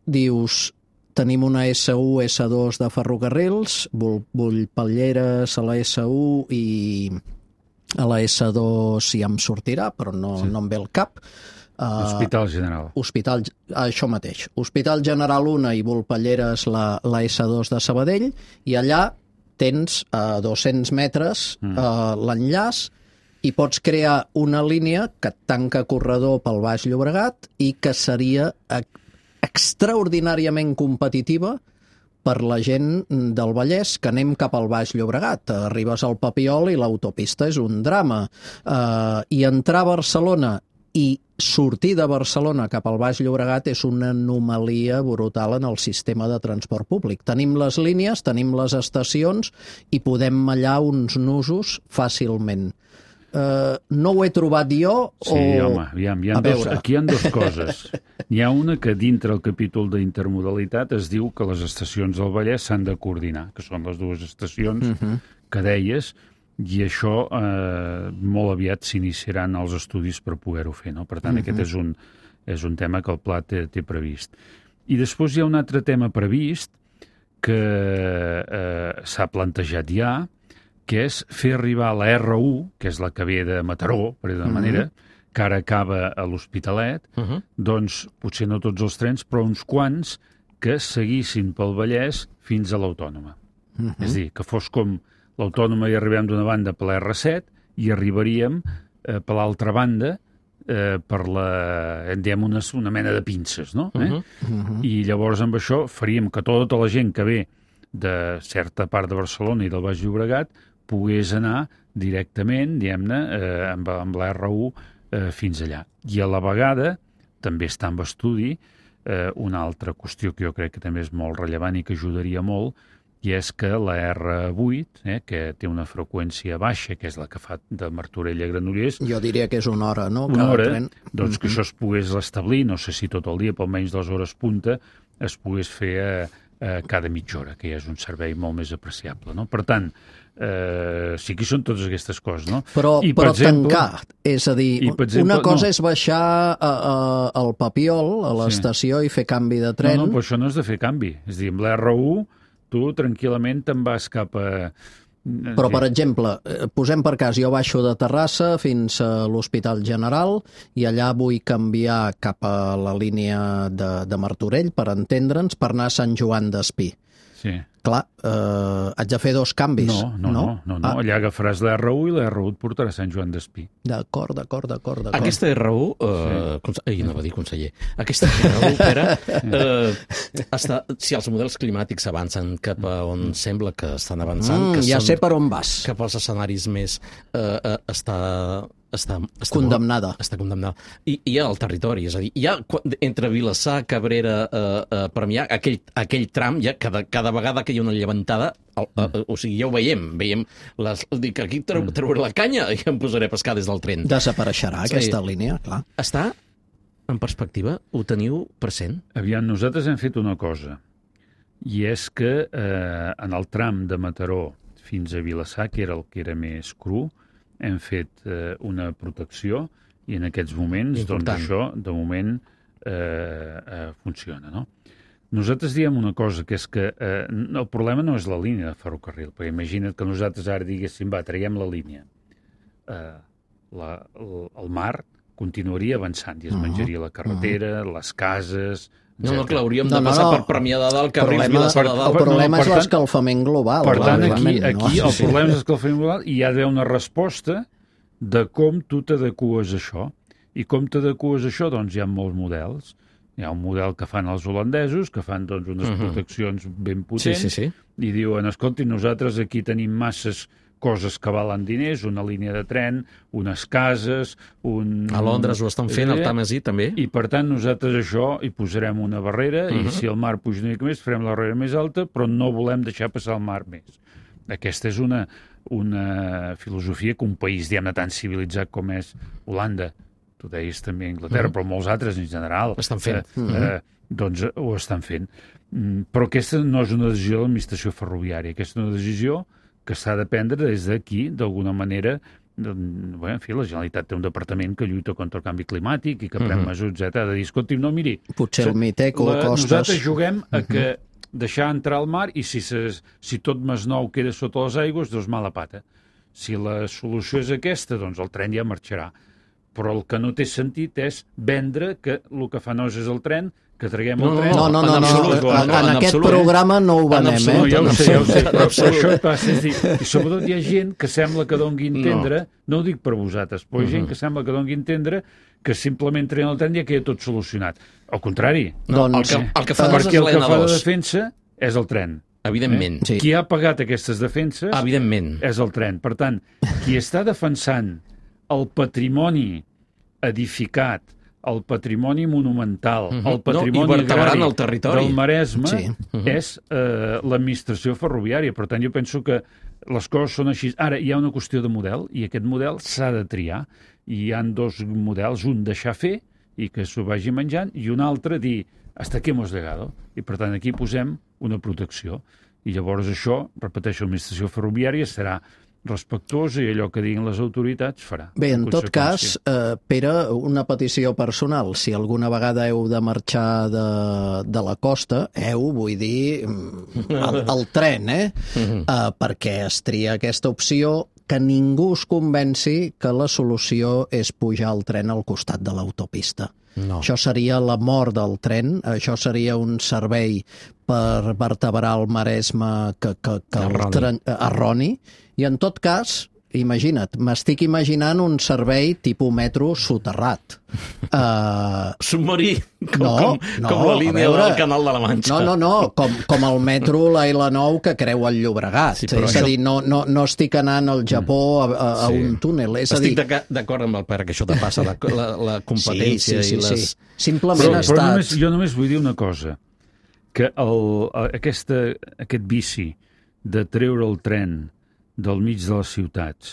dius, tenim una S1, S2 de ferrocarrils, Bullpalleres a la S1 i a la S2 ja em sortirà, però no em ve el cap. Hospital General. Això mateix. Hospital General 1 i Bullpalleres la S2 de Sabadell, i allà tens a 200 metres l'enllaç i pots crear una línia que et tanca corredor pel Baix Llobregat i que seria extraordinàriament competitiva per la gent del Vallès, que anem cap al Baix Llobregat. Arribes al Papiol i l'autopista és un drama. I entrar a Barcelona i sortir de Barcelona cap al Baix Llobregat és una anomalia brutal en el sistema de transport públic. Tenim les línies, tenim les estacions i podem mallar uns nusos fàcilment. No ho he trobat jo o... Sí, home, aquí hi ha dues coses. N'hi ha una que dintre el capítol d'intermodalitat es diu que les estacions del Vallès s'han de coordinar, que són les dues estacions que deies, i això molt aviat s'iniciaran els estudis per poder-ho fer, no? Per tant, aquest és un tema que el pla té previst. I després hi ha un altre tema previst que s'ha plantejat ja, que és fer arribar la R1, que és la que ve de Mataró, per dir d'una manera, que ara acaba a l'Hospitalet, doncs potser no tots els trens, però uns quants que seguissin pel Vallès fins a l'Autònoma. És a dir, que fos com l'Autònoma i arribem d'una banda per la R7 i arribaríem per l'altra banda per una mena de pinces, no? I llavors amb això faríem que tota la gent que ve de certa part de Barcelona i del Baix Llobregat pogués anar directament, diguem-ne, amb la R1 fins allà. I a la vegada també està en estudi una altra qüestió que jo crec que també és molt rellevant i que ajudaria molt, i és que la R8, que té una freqüència baixa, que és la que fa de Martorell a Granollers... Jo diria que és una hora, no? Una hora, doncs que això es pogués establir, no sé si tot el dia, però almenys les hores punta, es pogués fer cada mitja hora, que ja és un servei molt més apreciable, no? Per tant, sí que són totes aquestes coses, no? Però tancar, és a dir, una cosa és baixar al Papiol, a l'estació, i fer canvi de tren... No, però això no és de fer canvi. És a dir, amb la R1 tu tranquil·lament te'n vas cap a... Però, per exemple, posem per cas, jo baixo de Terrassa fins a l'Hospital General i allà vull canviar cap a la línia de Martorell, per entendre'ns, per anar a Sant Joan d'Espí. Sí. Clar, haig de fer dos canvis. No. Allà agafaràs la R1 i la R1 et portarà a Sant Joan d'Espí. D'acord. Aquesta R1, no va dir conseller, aquesta R1, Pere, si els models climàtics avancen cap a on sembla que estan avançant... Ja sé per on vas. Cap als escenaris més... Està condemnada. Està condemnada. I hi ha el territori, és a dir, hi ha entre Vilassar, Cabrera, Premià, aquell tram, ja cada vegada que hi ha una llevantada, o sigui, ja ho veiem, dic, aquí trauré la canya i em posaré a pescar des del tren. Desapareixerà aquesta línia, clar. Està en perspectiva? Ho teniu present? Aviam, nosaltres hem fet una cosa, i és que en el tram de Mataró fins a Vilassar, que era el que era més cru, hem fet una protecció i en aquests moments, doncs això, de moment, funciona, no? Nosaltres diem una cosa, que és que el problema no és la línia de ferrocarril, perquè imagina't que nosaltres ara diguéssim, traiem la línia. El mar continuaria avançant i es menjaria la carretera, les cases... No, que l'hauríem de passar per Premià de Dalt, Carrils, Vilassar de Dalt. El problema és l'escalfament global. Per tant, aquí el problema és l'escalfament global i hi ha d'haver una resposta de com tu t'adecues a això. I com t'adecues a això? Doncs hi ha molts models. Hi ha un model que fan els holandesos, que fan doncs, unes proteccions ben potents, i diuen, escolti, nosaltres aquí tenim masses coses que valen diners, una línia de tren, unes cases... A Londres ho estan fent, al Tàmesi també. I per tant nosaltres això hi posarem una barrera i si el mar puja una mica més farem la barrera més alta, però no volem deixar passar el mar més. Aquesta és una filosofia que un país, diguem-ne, tan civilitzat com és Holanda, tu deies també Anglaterra, però molts altres en general, estan fent. doncs ho estan fent. Però aquesta no és una decisió de l'administració ferroviària, aquesta és una decisió que s'ha de prendre des d'aquí, d'alguna manera. Bé, en fi, la Generalitat té un departament que lluita contra el canvi climàtic i que pren mesures, etc. Ha de dir, escolti, no, miri... Potser el Miteco, Costes... Nosaltres juguem a que deixar entrar al mar i si tot Masnou queda sota les aigües, doncs mala pata. Si la solució és aquesta, doncs el tren ja marxarà. Però el que no té sentit és vendre que el que fa nosa és el tren, que traguem el tren... No, en aquest programa no ho venem, No, ja ho sé, però això passa. I sobretot hi ha gent que sembla que doni a entendre, no ho dic per vosaltres, però hi ha gent que sembla que doni a entendre que simplement traient el tren ja queda tot solucionat. Al contrari. Doncs, el que fa perquè el que fa de defensa és el tren. Evidentment. Sí. Qui ha pagat aquestes defenses Evidentment. és el tren. Per tant, qui està defensant el patrimoni edificat, el patrimoni monumental, el patrimoni agrari del Maresme és l'administració ferroviària. Per tant, jo penso que les coses són així. Ara, hi ha una qüestió de model, i aquest model s'ha de triar. I hi ha dos models, un deixar fer i que s'ho vagi menjant, i un altre dir hasta aquí hemos llegado. I, per tant, aquí posem una protecció. I llavors això, repeteixo, l'administració ferroviària serà respectuosa i allò que diguin les autoritats farà. Bé, en tot cas, Pere, una petició personal. Si alguna vegada heu de marxar de la costa, vull dir, el tren, perquè es tria aquesta opció, que ningú es convenci que la solució és pujar el tren al costat de l'autopista. No. Això seria la mort del tren, això seria un servei per vertebrar el Maresme que erroni, i en tot cas, imagina't, m'estic imaginant un servei tipus metro soterrat. Submarí, com la línia del Canal de la Manxa. No, com el metro l'L9 que creua el Llobregat. Sí, és a dir, no estic anant al Japó a un túnel. Estic d'acord amb el Pere que això te passa, la competència i les... Simplement ha estat... Jo només vull dir una cosa, que aquest vici de treure el tren del mig de les ciutats,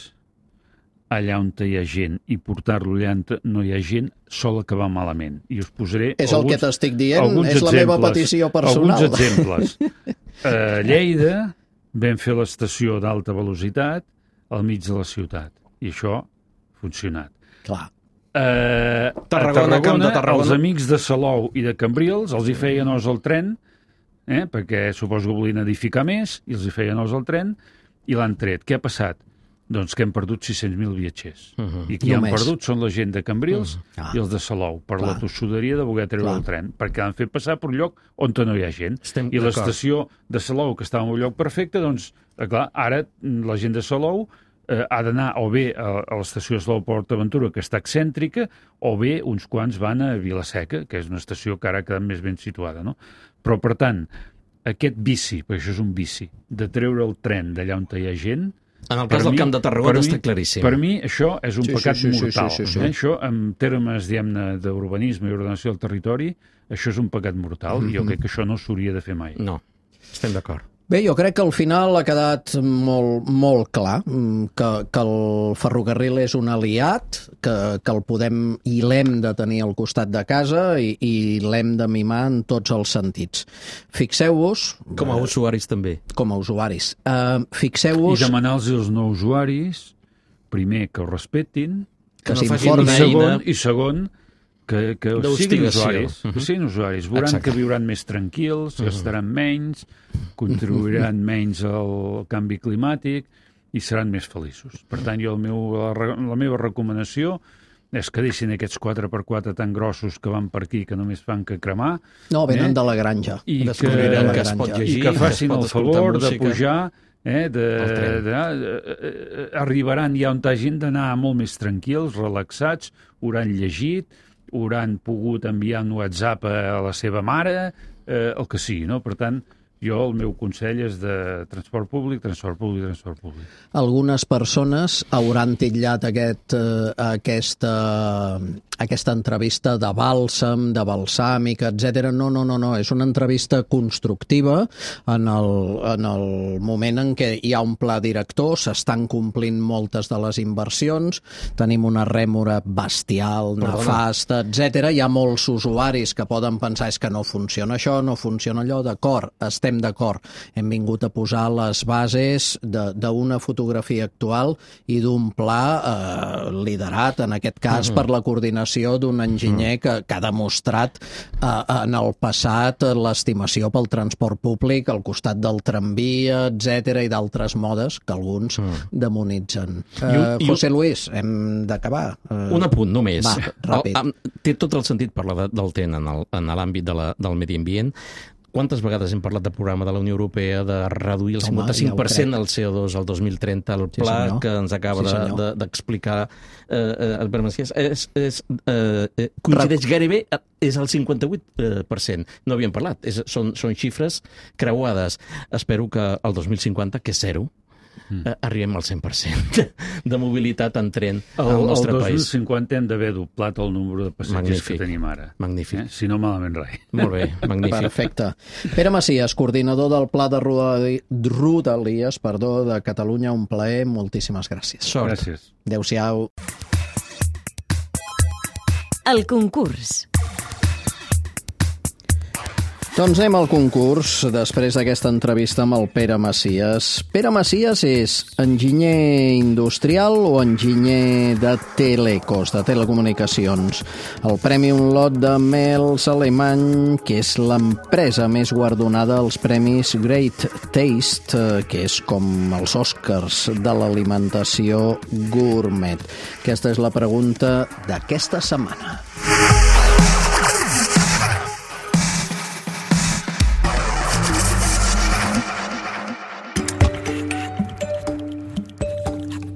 allà on hi ha gent, i portar-lo allà on no hi ha gent, sol acabar malament. I us posaré és el que t'estic dient, és la meva petició personal. Alguns exemples. A Lleida vam fer l'estació d'alta velocitat al mig de la ciutat, i això ha funcionat. Clar. A Tarragona, els amics de Salou i de Cambrils els hi feien os al tren, perquè suposo que volien edificar més, i els hi feien os al tren, i l'han tret. Què ha passat? Doncs que hem perdut 600.000 viatgers. I qui han perdut són la gent de Cambrils i els de Salou, per la tossuderia de voler treure el tren, perquè l'han fet passar per un lloc on no hi ha gent. I l'estació de Salou, que estava en un lloc perfecte, doncs, clar, ara la gent de Salou ha d'anar o bé a l'estació de Salou Port Aventura, que està excèntrica, o bé uns quants van a Vilaseca, que és una estació que ara ha quedat més ben situada, no? Però, per tant, aquest vici, perquè això és un vici, de treure el tren d'allà on hi ha gent... En el cas del Camp de Tarragona està claríssim. Per mi això és un pecat mortal. Això, en termes, diguem-ne, d'urbanisme i ordenació del territori, això és un pecat mortal, i jo crec que això no s'hauria de fer mai. No, estem d'acord. Bé, jo crec que al final ha quedat molt clar que el ferrocarril és un aliat, que el podem i l'hem de tenir al costat de casa i l'hem de mimar en tots els sentits. Fixeu-vos... Com a usuaris també. Com a usuaris. Fixeu-vos... I demanar-los als no usuaris, primer, que ho respectin, que s'informin, i segon, que siguin usuaris. Que siguin usuaris. Veuran que viuran més tranquils, gastaran menys, contribuiran menys al canvi climàtic i seran més feliços. Per tant, jo la meva recomanació és que deixin aquests 4x4 tan grossos que van per aquí, que només fan que cremar. No, venen de la granja. I que facin el favor de pujar, arribaran ja on hagin d'anar molt més tranquils, relaxats, hauran llegit, hauran pogut enviar un WhatsApp a la seva mare, el que sigui, no? Per tant, Jo el meu consell és de transport públic, transport públic, transport públic. Algunes persones hauran titllat aquesta entrevista de bàlsam, de balsàmica, etc. No, és una entrevista constructiva en el moment en què hi ha un pla director, s'estan complint moltes de les inversions, tenim una rèmora bestial, nefasta, etc. Hi ha molts usuaris que poden pensar és que no funciona això, no funciona allò, d'acord, estem d'acord. Hem vingut a posar les bases d'una fotografia actual i d'un pla liderat, en aquest cas, per la coordinació d'un enginyer que ha demostrat en el passat l'estimació pel transport públic al costat del tramvia, etc. i d'altres modes que alguns demonitzen. José Luis, hem d'acabar. Un apunt només. Va, ràpid. Té tot el sentit parlar del TEN en l'àmbit del medi ambient. Quantes vegades hem parlat del programa de la Unió Europea de reduir el 55% del CO2 al 2030, el pla que ens acaba d'explicar coincideix gairebé, és el 58%. No havíem parlat, són xifres creuades. Espero que el 2050, que és zero, arribem al 100% de mobilitat en tren al nostre país. El 2050 hem d'haver doblat el número de passatgers que tenim ara. Magnífic. Si no, malament res. Molt bé, magnífic. Perfecte. Pere Macias, coordinador del Pla de Rodalies de Catalunya, un plaer, moltíssimes gràcies. Sort. Gràcies. Adéu-siau. El concurs. Doncs anem al concurs, després d'aquesta entrevista amb el Pere Macias. Pere Macias és enginyer industrial o enginyer de telecos, de telecomunicacions. El Premi Un Lot de Mels alemany, que és l'empresa més guardonada als Premis Great Taste, que és com els Oscars de l'alimentació gourmet. Aquesta és la pregunta d'aquesta setmana.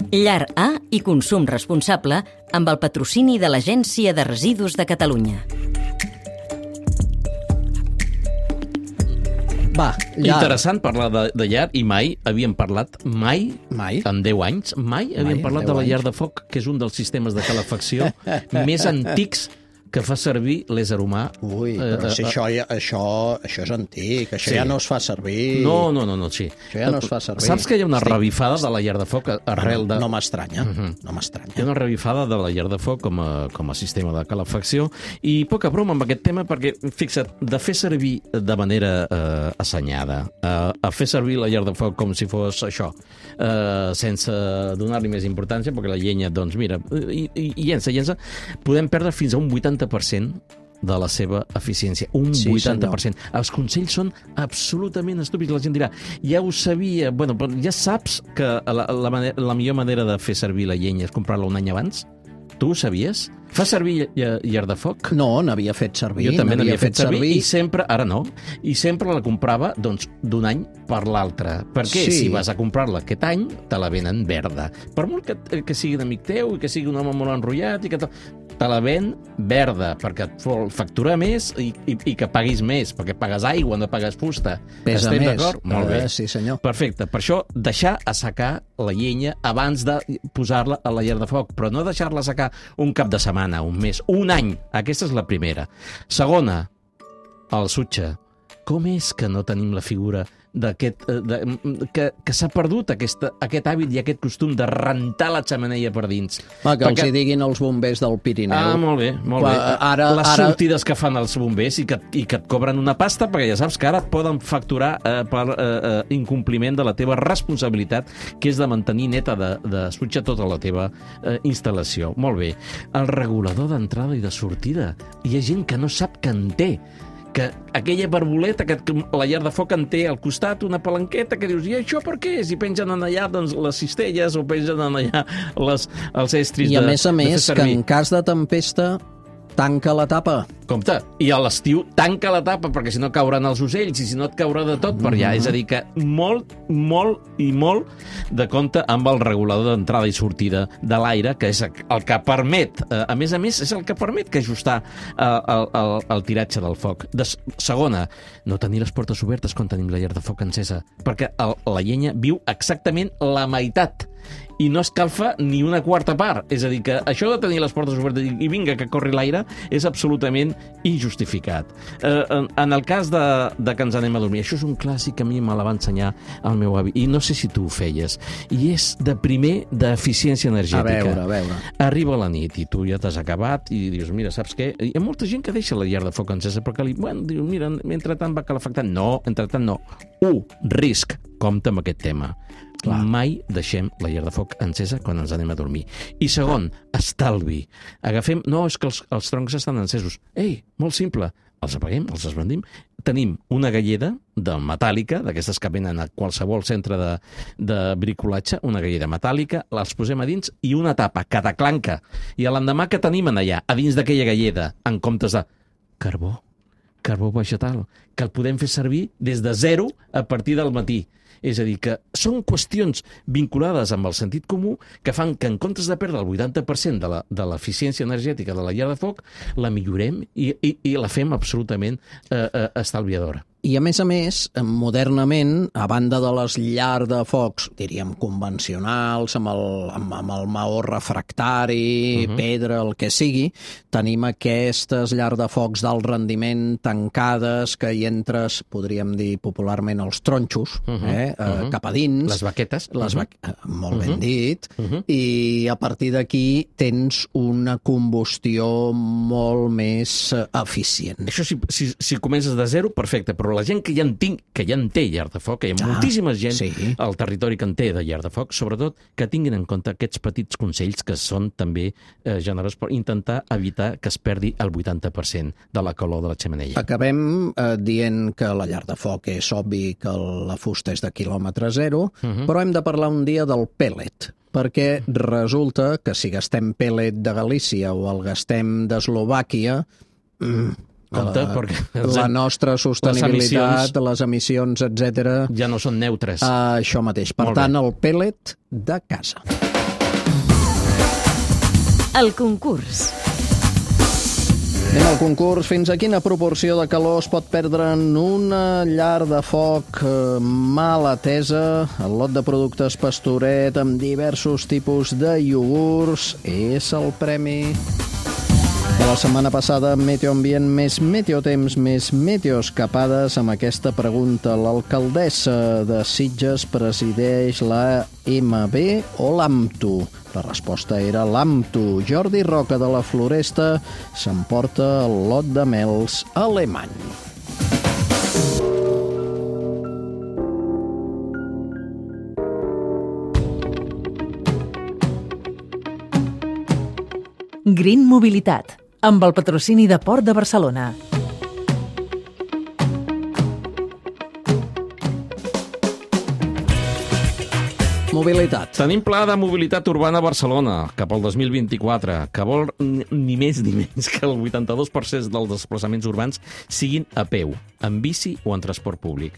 Llar A i consum responsable amb el patrocini de l'Agència de Residus de Catalunya. Va, llar. Interessant parlar de llar i mai havíem parlat, en 10 anys, mai havíem parlat de la llar de foc, que és un dels sistemes de calefacció més antics que fa servir l'ésser humà. Ui, però si això és antic, això ja no es fa servir. No, sí. Això ja no es fa servir. Saps que hi ha una revifada de la llar de foc arrel de... No m'estranya, no m'estranya. Hi ha una revifada de la llar de foc com a sistema de calefacció i poca broma amb aquest tema perquè, fixa't, de fer servir de manera assenyada, a fer servir la llar de foc com si fos això, sense donar-li més importància, perquè la llenya, doncs mira, i llença, podem perdre fins a un 80% de la seva eficiència. Un 80%. Senyor. Els consells són absolutament estúpids. La gent dirà, ja ho sabia. Bueno, però ja saps que la millor manera de fer servir la llenya és comprar-la un any abans? Tu ho sabies? Fa servir llar de foc? No, n'havia fet servir. Jo també n'havia fet servir i sempre, ara no, i sempre la comprava doncs d'un any per l'altre. Perquè si vas a comprar-la aquest any, te la venen verda. Per molt que sigui d'amic teu i que sigui un home molt enrotllat i que te la ven verda, perquè et vol facturar més i que paguis més, perquè pagues aigua, no pagues fusta. Pesa Estem més. d'acord? Molt bé. Sí, senyor. Perfecte. Per això, deixar assecar la llenya abans de posar-la a la llar de foc, però no deixar-la assecar un cap de setmana, un mes, un any. Aquesta és la primera. Segona, el sutge. Com és que no tenim la figura que s'ha perdut aquest hàbit i aquest costum de rentar la xemeneia per dins? Que els hi diguin els bombers del Pirineu. Ah, molt bé. Les sortides que fan els bombers i que et cobren una pasta, perquè ja saps que ara et poden facturar per incompliment de la teva responsabilitat, que és de mantenir neta de sutge tota la teva instal·lació. Molt bé. El regulador d'entrada i de sortida. Hi ha gent que no sap que en té, que aquella barboleta que la llar de foc en té al costat, una palanqueta que dius, i això per què és? I pengen en allà doncs, les cistelles o pengen en allà els estris de fer servir. I a més, que en cas de tempesta tanca la tapa. Compte, i a l'estiu tanca la tapa, perquè si no cauran els ocells i si no et caurà de tot per allà. És a dir, que molt de compte amb el regulador d'entrada i sortida de l'aire, que és el que permet, a més, és el que permet que ajustar el tiratge del foc. Segona, no tenir les portes obertes quan tenim la llar de foc encesa, perquè la llenya viu exactament la meitat i no escalfa ni una quarta part. És a dir, que això de tenir les portes obertes i vinga, que corri l'aire, és absolutament injustificat. En el cas de que ens anem a dormir, això és un clàssic que a mi me la va ensenyar el meu avi, i no sé si tu ho feies, i és de primer d'eficiència energètica. A veure. Arriba la nit i tu ja t'has acabat i dius, mira, saps què? Hi ha molta gent que deixa la llar de foc encesa perquè diu, mira, mentrestant va calefactant. No, entretant no. Risc. Compte amb aquest tema. Clar. Mai deixem la llar de foc encesa quan ens anem a dormir. I segon, estalvi. Agafem... No, és que els troncs estan encesos. Ei, molt simple. Els apaguem, els esbandim. Tenim una galleda metàl·lica, d'aquestes que venen a qualsevol centre de bricolatge, una galleda metàl·lica, les posem a dins i una tapa, cada clanca. I l'endemà que tenim allà, a dins d'aquella galleda, en comptes de carbó vegetal, que el podem fer servir des de zero a partir del matí. És a dir, que són qüestions vinculades amb el sentit comú que fan que en comptes de perdre el 80% de l'eficiència energètica de la llar de foc, la millorem i la fem absolutament estalviadora. I, a més, modernament, a banda de les llars de focs, diríem, convencionals, amb el maó refractari, pedra, el que sigui, tenim aquestes llars de focs d'alt rendiment tancades, que hi entres, podríem dir popularment, els tronxos, cap a dins. Les baquetes. Molt ben dit. I a partir d'aquí tens una combustió molt més eficient. Això, si comences de zero, perfecte, però la gent que ja en té llar de foc, que hi ha moltíssima gent al territori que en té de llar de foc, sobretot que tinguin en compte aquests petits consells que són també generosos per intentar evitar que es perdi el 80% de la calor de la xemeneia. Acabem dient que la llar de foc és obvi que la fusta és de quilòmetre zero, però hem de parlar un dia del pèl·let, perquè resulta que si gastem pèl·let de Galícia o el gastem d'Eslovàquia, compte, perquè la nostra sostenibilitat, les emissions, etc. ja no són neutres. Això mateix. Per tant, el pèl·let de casa. El concurs. Anem al concurs. Fins a quina proporció de calor es pot perdre en una llar de foc mal atesa? El lot de productes Pastoret amb diversos tipus de iogurts és el premi. La setmana passada, Meteoambient més Meteotemps més Meteoescapades, amb aquesta pregunta. L'alcaldessa de Sitges presideix la MB o l'AMTU? La resposta era l'AMTU. Jordi Roca de la Floresta s'emporta el lot de mels alemany. Green Mobilitat, amb el patrocini de Port de Barcelona. Mobilitat. Tenim pla de mobilitat urbana a Barcelona cap al 2024, que vol ni més ni menys que el 82% dels desplaçaments urbans siguin a peu, en bici o en transport públic.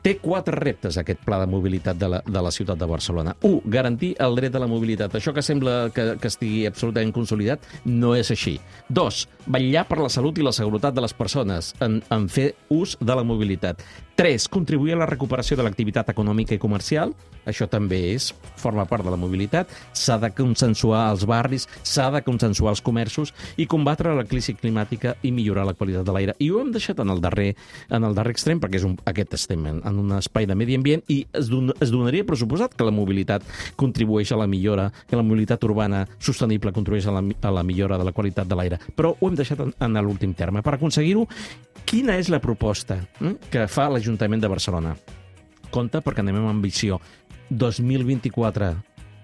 Té 4 reptes, aquest pla de mobilitat de la ciutat de Barcelona. 1. Garantir el dret a la mobilitat. Això que sembla que estigui absolutament consolidat no és així. 2. Vetllar per la salut i la seguretat de les persones en fer ús de la mobilitat. 3. Contribuir a la recuperació de l'activitat econòmica i comercial. Això també forma part de la mobilitat. S'ha de consensuar els barris, s'ha de consensuar els comerços i combatre la crisi climàtica i millorar la qualitat de l'aire. I ho hem deixat en el darrer extrem, perquè aquest estem en un espai de medi ambient i es donaria per suposat que la mobilitat contribueix a la millora, que la mobilitat urbana sostenible contribueix a la millora de la qualitat de l'aire. Però ho hem deixat en l'últim terme. Per aconseguir-ho, quina és la proposta que fa l'Ajuntament de Barcelona? Compte, perquè anem amb ambició. 2024.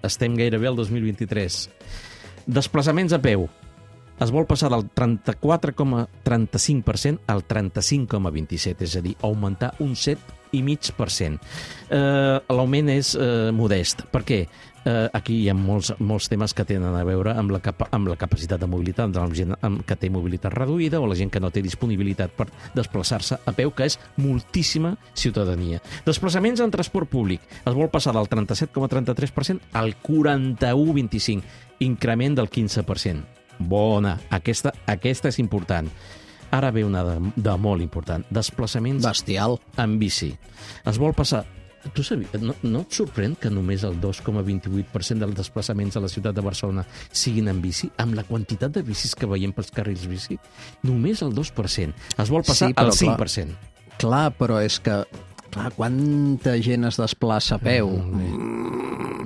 Estem gairebé al 2023. Desplaçaments a peu. Es vol passar del 34,35% al 35,27%, és a dir, augmentar un 7,5%. L'augment és modest. Per què? aquí hi ha molts temes que tenen a veure amb la capacitat de mobilitat de la gent que té mobilitat reduïda o la gent que no té disponibilitat per desplaçar-se a peu, que és moltíssima ciutadania. Desplaçaments en transport públic. Es vol passar del 37,33% al 41,25%, increment del 15%. Bona, aquesta és important. Ara ve una de molt important. Desplaçaments Bestial. en bici. Es vol passar... Tu sabies, no et sorprèn que només el 2,28% dels desplaçaments a la ciutat de Barcelona siguin en bici? Amb la quantitat de bicis que veiem pels carrils bici, només el 2%. Es vol passar al 5%. Clar, però és que... Clar, quanta gent es desplaça a peu?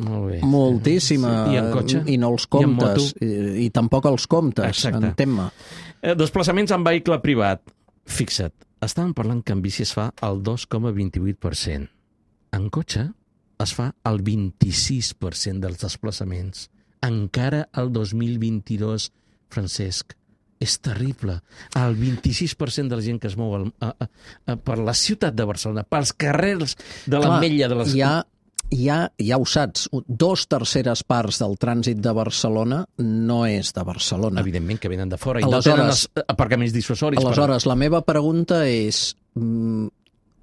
Molt bé. Moltíssima. Sí. I en cotxe? I no els comptes. I tampoc els comptes, Exacte. entén-me. Desplaçaments en vehicle privat. Fixa't, estàvem parlant que en bici es fa el 2,28%. En cotxe es fa el 26% dels desplaçaments. Encara el 2022, Francesc, és terrible. El 26% de la gent que es mou per la ciutat de Barcelona, pels carrers de l'Ametlla de les... Ja ho saps, 2/3 parts del trànsit de Barcelona no és de Barcelona. Evidentment que venen de fora i no tenen aparcaments dissuasoris. Aleshores, la meva pregunta és...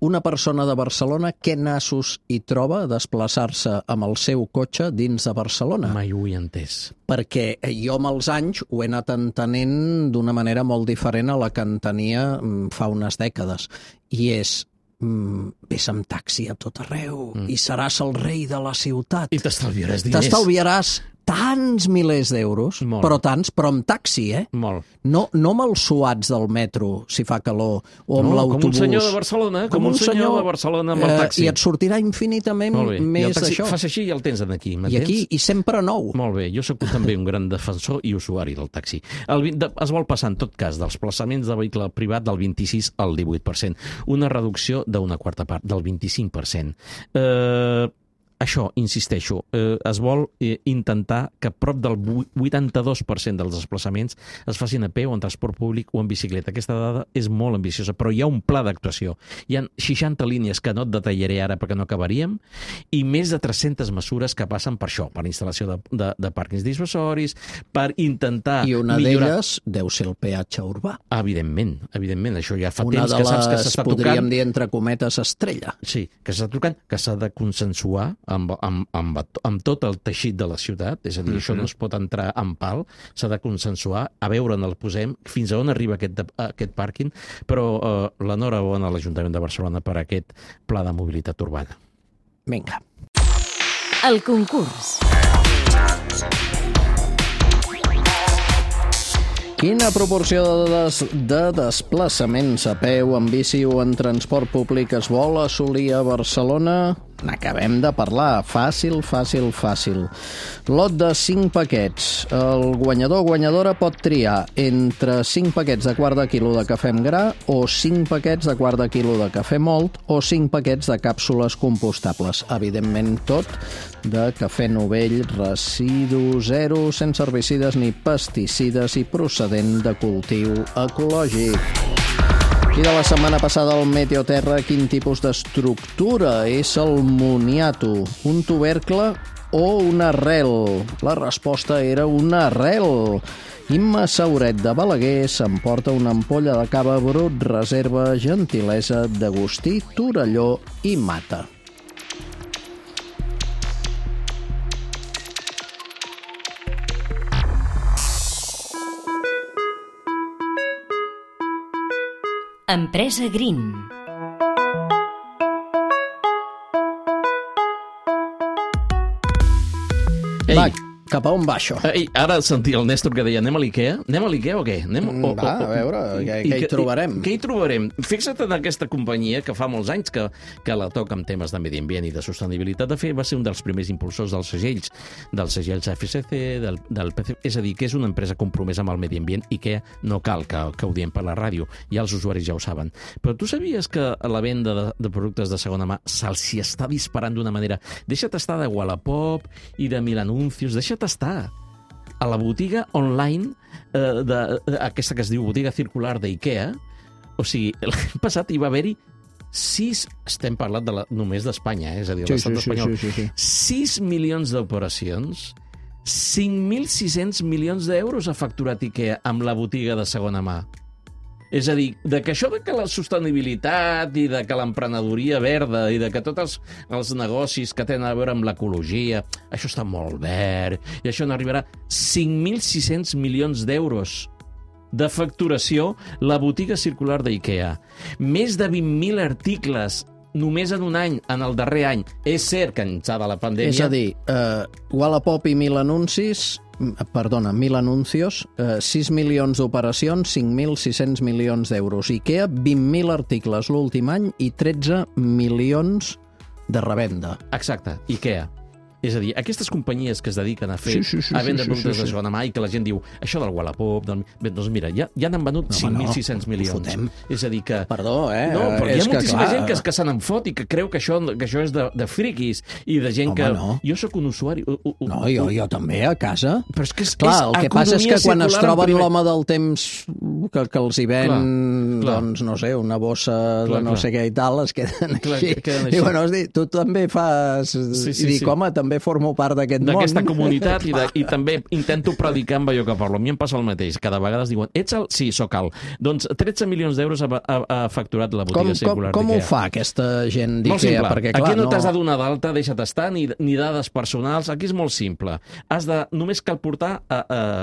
Una persona de Barcelona, què nassos hi troba a desplaçar-se amb el seu cotxe dins de Barcelona? Mai ho he entès. Perquè jo amb els anys ho he anat entenent d'una manera molt diferent a la que entenia fa unes dècades. I és, vés amb taxi a tot arreu i seràs el rei de la ciutat. I t'estalviaràs diners. T'estalviaràs tants milers d'euros, però amb taxi, eh? Molt. No amb els suats del metro, si fa calor, o amb l'autobús. Com un senyor de Barcelona, com un senyor de Barcelona amb el taxi. I et sortirà infinitament més d'això. Fas així i el tens aquí, m'entens? I aquí, i sempre nou. Molt bé, jo sóc també un gran defensor i usuari del taxi. Es vol passar, en tot cas, dels desplaçaments de vehicle privat del 26 al 18%. Una reducció d'una quarta part, del 25%. Això, insisteixo, es vol intentar que prop del 82% dels desplaçaments es facin a peu, en transport públic o en bicicleta. Aquesta dada és molt ambiciosa, però hi ha un pla d'actuació. Hi ha 60 línies que no et detallaré ara perquè no acabaríem, i més de 300 mesures que passen per això, per instal·lació de pàrquings dissuasoris, per intentar I una d'elles deu ser el peatge urbà. Evidentment, això ja fa una temps que saps que s'està tocant. podríem dir, entre cometes, estrella. Sí, que s'està tocant, que s'ha de consensuar amb tot el teixit de la ciutat, és a dir, això no es pot entrar en pal, s'ha de consensuar, a veure on el posem, fins a on arriba aquest pàrquing, però l'enhorabona a l'Ajuntament de Barcelona per aquest pla de mobilitat urbana. Vinga. El concurs. Quina proporció de desplaçaments a peu, en bici o en transport públic es vol assolir a Barcelona? N'acabem de parlar. Fàcil. Lot de 5 paquets. El guanyador o guanyadora pot triar entre 5 paquets de quart de quilo de cafè amb gra o 5 paquets de quart de quilo de cafè mòlt o 5 paquets de càpsules compostables. Evidentment tot de cafè novell, residu zero, sense herbicides ni pesticides i procedent de cultiu ecològic. I de la setmana passada al Meteoterra, quin tipus d'estructura és el moniato? Un tubercle o una arrel? La resposta era una arrel. Imma Sauret de Balaguer s'emporta una ampolla de cava brut, reserva, gentilesa d'Agustí, Torelló i Mata. Empresa Green. Va, cap a on va això? Ara sentia el Néstor que deia anem a l'Ikea? Anem a l'Ikea o què? Va, a veure, què hi trobarem? Què hi trobarem? Fixa't en aquesta companyia que fa molts anys que la toca amb temes de medi ambient i de sostenibilitat. De fet, va ser un dels primers impulsors dels segells FSC, del PC. És a dir, que és una empresa compromesa amb el medi ambient i que no cal que ho diem per la ràdio. Ja els usuaris ja ho saben. Però tu sabies que la venda de productes de segona mà se'ls està disparant d'una manera? Deixa't estar de Wallapop i de Mil Anuncios, deixa't estar a la botiga online aquesta que es diu botiga circular d'IKEA. O sigui, l'any passat hi va haver-hi estem parlant només d'Espanya, és a dir, l'estat espanyol. 6 milions d'operacions, 5.600 milions d'euros ha facturat IKEA amb la botiga de segona mà. És a dir, que això de que la sostenibilitat i de que l'emprenedoria verda i de que tots els negocis que tenen a veure amb l'ecologia, això està molt verd, i això n'arribarà 5.600 milions d'euros de facturació la botiga circular d'IKEA. Més de 20.000 articles només en un any, en el darrer any. És cert que ençà de la pandèmia... És a dir, Wallapop i 1.000 anuncios, 6 milions d'operacions, 5.600 milions d'euros. IKEA, 20.000 articles l'últim any i 13 milions de revenda. Exacte, IKEA. És a dir, aquestes companyies que es dediquen a fer a vendre productes de segona mà i que la gent diu, això del Wallapop... Bé, doncs mira, ja n'han venut 5.600 milions. És a dir que... Perdó, No, però hi ha moltíssima gent que se n'enfot i que creu que això és de friquis i de gent que... Jo sóc un usuari... No, jo també, a casa. Però és que clar, el que passa és que quan es troben l'home del temps que els hi ven, doncs, no sé, una bossa de no sé què i tal, es queden així. I bueno, tu també fas... I dic, home, també formo part d'aquest món. D'aquesta comunitat i també intento predicar amb allò que parlo. A mi em passa el mateix. Cada vegada es diuen, ets el... Sí, sóc el. Doncs 13 milions d'euros ha facturat la botiga circular d'IKEA. Com ho fa aquesta gent d'IKEA? Perquè, clar, aquí no t'has de donar d'alta, deixa't estar, ni dades personals. Aquí és molt simple. Només cal portar,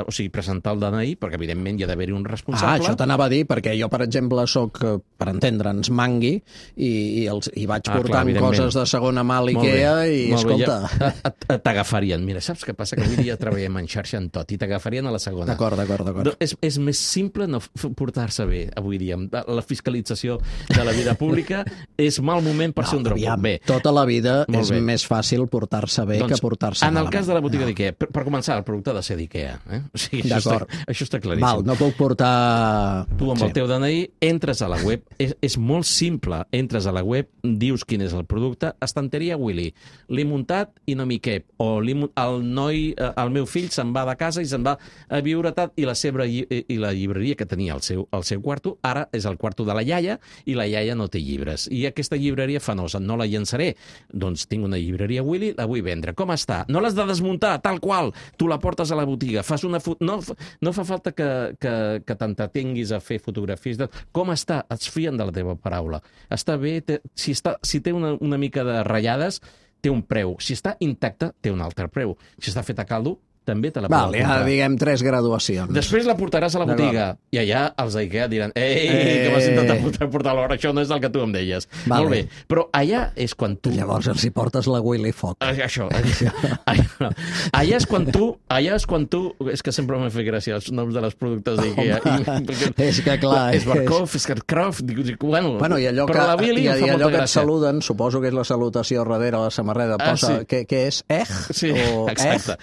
o sigui, presentar el DNI, perquè evidentment hi ha d'haver-hi un responsable. Això t'anava a dir, perquè jo, per exemple, sóc, per entendre'ns, mangui, i vaig portant coses de segona mà a l'IKEA i, escolta... T'agafarien. Mira, saps què passa? Que avui dia treballem en xarxa en tot i t'agafarien a la segona. D'acord. És més simple no portar-se bé avui dia. La fiscalització de la vida pública és mal moment per ser un drop. Bé. Tota la vida és més fàcil portar-se bé que portar-se malament. En el cas de la botiga d'IKEA, per començar, el producte ha de ser d'IKEA. O sigui, això està claríssim. No puc portar... Tu amb el teu DNI entres a la web, és molt simple, entres a la web, dius quin és el producte, estanteria Willy, l'he muntat i no m'hi cap, o el meu fill se'n va de casa i se'n va a viure i la llibreria que tenia al seu quarto, ara és el quarto de la iaia i la iaia no té llibres. I aquesta llibreria fanosa, no la llençaré. Doncs tinc una llibreria Willy, la vull vendre. Com està? No l'has de desmuntar, tal qual. Tu la portes a la botiga, fas una no fa falta que t'entretinguis a fer fotografies. Com està? Es fien de la teva paraula. Està bé? Si té una mica de ratllades, té un preu. Si està intacta, té un altre preu. Si està feta a caldo, també te la poden comprar. Diguem 3 graduacions. Després la portaràs a la botiga i allà els d'IKEA diran que m'has intentat portar l'hora, això no és el que tu em deies. Molt bé, però allà és quan tu... Llavors els hi portes la Willy Fox. Això. Allà és quan tu... És que sempre m'ha fet gràcia els noms de les productes d'IKEA. És que clar... És Barkov, és Karkov... Bueno, i allò que et saluden, suposo que és la salutació darrere la samarreta, posa què és? Sí, exacte.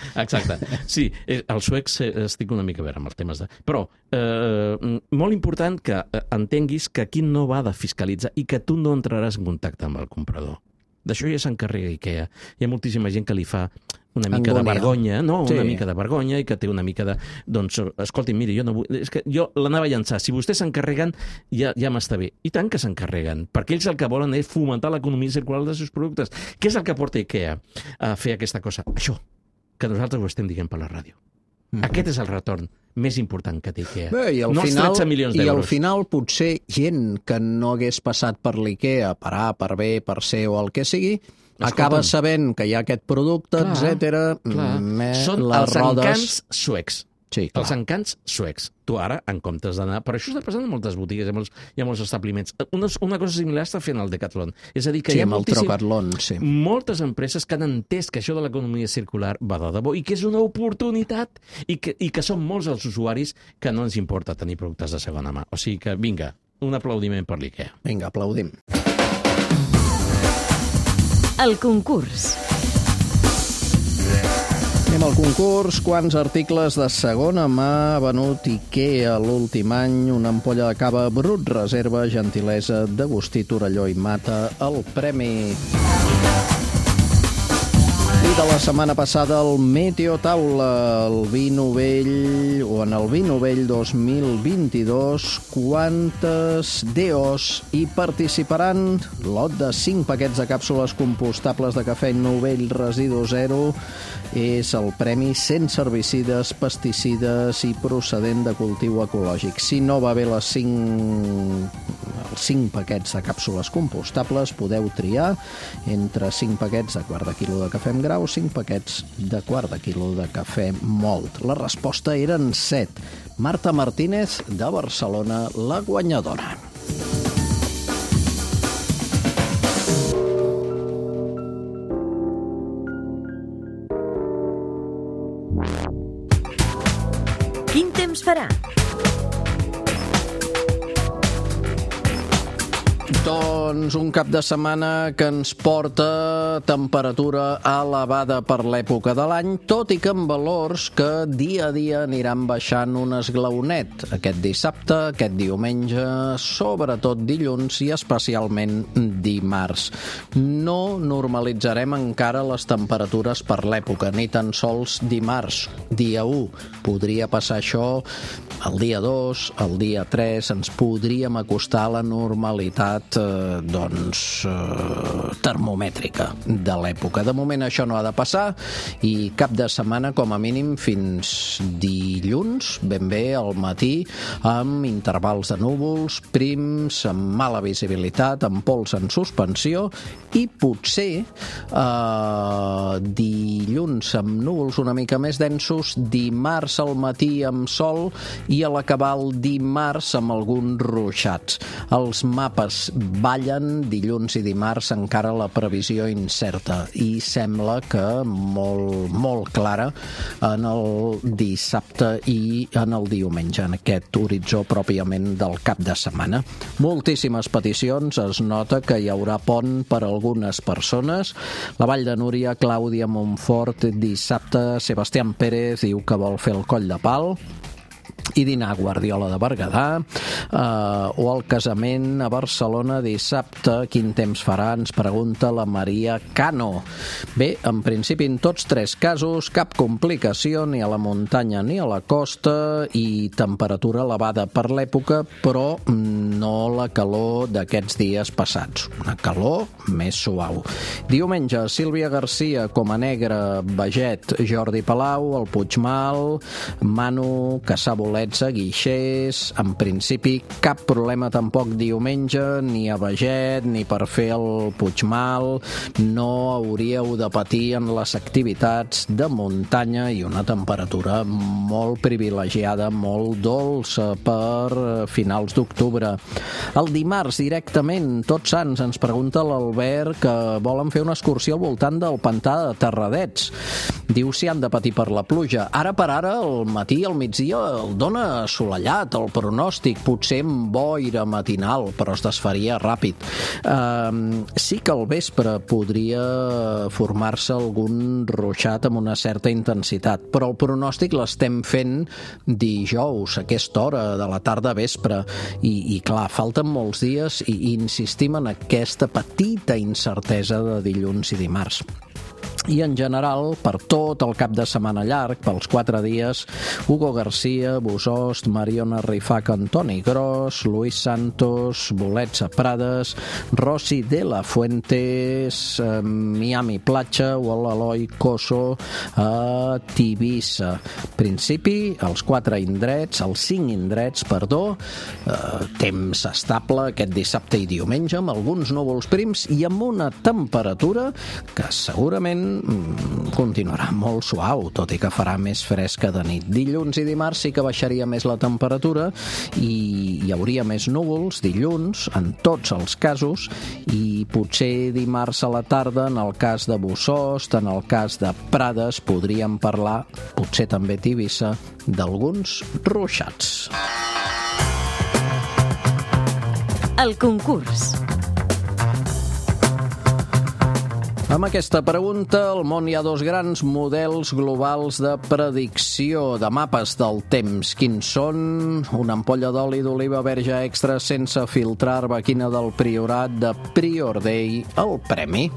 Sí, els suecs estic una mica a veure amb els temes de... Però molt important que entenguis que aquí no va de fiscalitzar i que tu no entraràs en contacte amb el comprador. D'això ja s'encarrega IKEA. Hi ha moltíssima gent que li fa una mica de vergonya, una mica de vergonya i que té una mica de... Doncs, escolti, miri, jo no vull... És que jo l'anava a llançar. Si vostès s'encarreguen, ja m'està bé. I tant que s'encarreguen, perquè ells el que volen és fomentar l'economia circular dels seus productes. Què és el que porta IKEA a fer aquesta cosa? Això, que nosaltres ho estem dient per la ràdio. Aquest és el retorn més important que té IKEA. No els 13 milions d'euros. I al final potser gent que no hagués passat per l'IKEA, per A, per B, per C o el que sigui, acaba sabent que hi ha aquest producte, etc. Són els encants suecs. Sí, els encants suecs. Tu ara, en comptes d'anar... Però això està passant en moltes botigues, hi ha molts establiments. Una cosa similar està fent el Decathlon. És a dir, que hi ha moltes empreses que han entès que això de l'economia circular va de debò i que és una oportunitat i que són molts els usuaris que no ens importa tenir productes de segona mà. O sigui que, vinga, un aplaudiment per l'IKEA. Vinga, aplaudim. El concurs. Anem al concurs. Quants articles de segona mà ha venut IKEA l'últim any? Una ampolla de cava Brut Reserva, gentilesa d'Agustí Torelló i Mata, el premi. I de la setmana passada el Meteotaula, el vi novell, o en el vi novell 2022, quantes DOs hi participaran? Lot de 5 paquets de càpsules compostables de cafè novell residu zero és el premi sense herbicides, pesticides i procedent de cultiu ecològic. Si no va bé els 5 paquets de càpsules compostables, podeu triar entre 5 paquets de quart de quilo de cafè amb grau, 5 paquets de quart de quilo de cafè mòlt. La resposta eren 7. Marta Martínez, de Barcelona, la guanyadora. Quin temps farà? Doncs un cap de setmana que ens porta temperatura elevada per l'època de l'any, tot i que amb valors que dia a dia aniran baixant un esglaonet. Aquest dissabte, aquest diumenge, sobretot dilluns i especialment dimarts. No normalitzarem encara les temperatures per l'època, ni tan sols dimarts, dia 1. Podria passar això el dia 2, el dia 3, ens podríem acostar a la normalitat termomètrica de l'època. De moment això no ha de passar i cap de setmana com a mínim fins dilluns, ben bé al matí, amb intervals de núvols, prims, amb mala visibilitat, amb pols en suspensió i potser dilluns amb núvols una mica més densos, dimarts al matí amb sol i a l'acabar el dimarts amb alguns ruixats. Els mapes ballen dilluns i dimarts, encara la previsió incerta i sembla que molt clara en el dissabte i en el diumenge, en aquest horitzó pròpiament del cap de setmana. Moltíssimes peticions, es nota que hi haurà pont per a algunes persones. La Vall de Núria, Clàudia Montfort, dissabte, Sebastián Pérez diu que vol fer el Coll de Pal i dinar a Guardiola de Berguedà, o el casament a Barcelona dissabte. Quin temps farà? Ens pregunta la Maria Cano. Bé, en principi en tots 3 casos cap complicació ni a la muntanya ni a la costa i temperatura elevada per l'època, però no la calor d'aquests dies passats, una calor més suau. Diumenge, Sílvia Garcia, Coma Negra, Baget, Jordi Palau, el Puigmal, Manu, Caçà Bolets a Guixers. En principi cap problema tampoc diumenge, ni a Baget ni per fer el Puigmal. No hauríeu de patir en les activitats de muntanya i una temperatura molt privilegiada, molt dolça per finals d'octubre. El dimarts directament, Tots Sants, ens pregunta l'Albert que volen fer una excursió al voltant del pantà de Terradets. Diu si han de patir per la pluja. Ara per ara, al matí i al migdia el dona assolellat, el pronòstic, potser amb boira matinal, però es desfaria ràpid. Sí que al vespre podria formar-se algun ruixat amb una certa intensitat, però el pronòstic l'estem fent dijous, a aquesta hora de la tarda vespre, i clar, falten molts dies i insistim en aquesta petita incertesa de dilluns i dimarts. I en general, per tot el cap de setmana llarg, pels 4 dies, Hugo García, Bosost, Mariona Rifac, Antoni Gros, Luis Santos, Bolets a Prades, Rossi de la Fuentes, Miami Platja o l'Eloi Coso a Tivissa. Principi, els 5 indrets, temps estable aquest dissabte i diumenge, amb alguns núvols prims i amb una temperatura que segurament continuarà molt suau, tot i que farà més fresca de nit. Dilluns i dimarts sí que baixaria més la temperatura i hi hauria més núvols dilluns, en tots els casos, i potser dimarts a la tarda, en el cas de Bosost, en el cas de Prades, podríem parlar, potser també Tivissa, d'alguns ruixats. El concurs. Amb aquesta pregunta, al món hi ha 2 grans models globals de predicció de mapes del temps. Quins són? Una ampolla d'oli d'oliva verge extra sense filtrar arbequina del Priorat de Prior Day, el premi.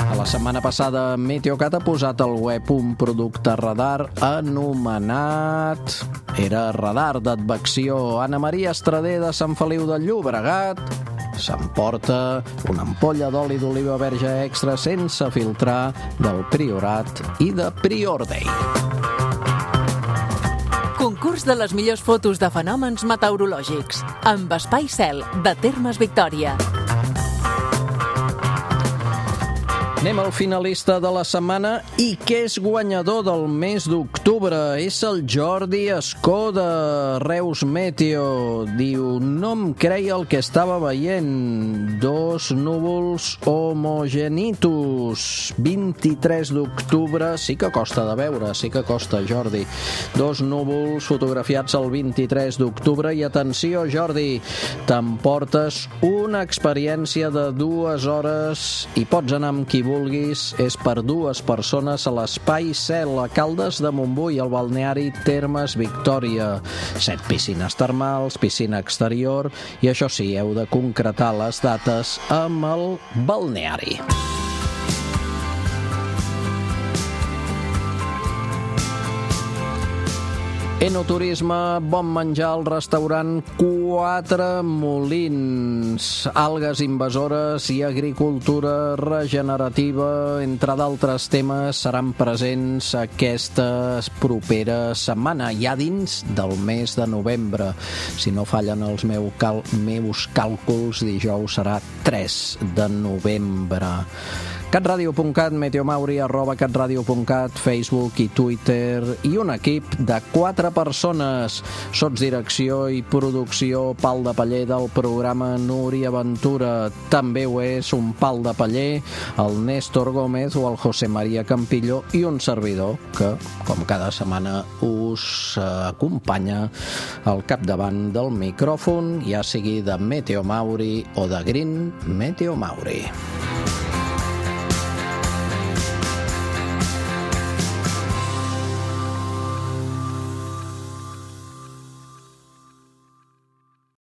A La setmana passada Meteocat ha posat al web un producte radar anomenat... Era radar d'advecció. Anna Maria Estrader de Sant Feliu de Llobregat s'emporta una ampolla d'oli d'oliva verge extra sense filtrar del Priorat i de Priordei. Concurs de les millors fotos de fenòmens meteorològics amb Espai Cel, de Termes Victòria. Anem al finalista de la setmana i que és guanyador del mes d'octubre. És el Jordi Escó de Reus Meteo. Diu, no em creia el que estava veient. 2 núvols homogenitus. 23 d'octubre. Sí que costa de veure, sí que costa, Jordi. 2 núvols fotografiats el 23 d'octubre. I atenció, Jordi, t'emportes una experiència de 2 hores i pots anar amb qui vulguis, és per 2 persones a l'Espai Cel, a Caldes de Montbui, al balneari Termes Victòria. 7 piscines termals, piscina exterior, i això sí, heu de concretar les dates amb el balneari. Enoturisme, bon menjar al restaurant 4 Molins, algues invasores i agricultura regenerativa, entre d'altres temes, seran presents aquesta propera setmana, ja dins del mes de novembre. Si no fallen els meus càlculs, dijous serà 3 de novembre. catradio.cat, meteomauri, @catradio.cat, Facebook i Twitter, i un equip de 4 persones. Sotsdirecció i producció, pal de paller del programa Núria Ventura. També ho és un pal de paller, el Néstor Gómez o el José María Campillo, i un servidor que, com cada setmana, us acompanya al capdavant del micròfon, ja sigui de Meteomauri o de Green Meteomauri.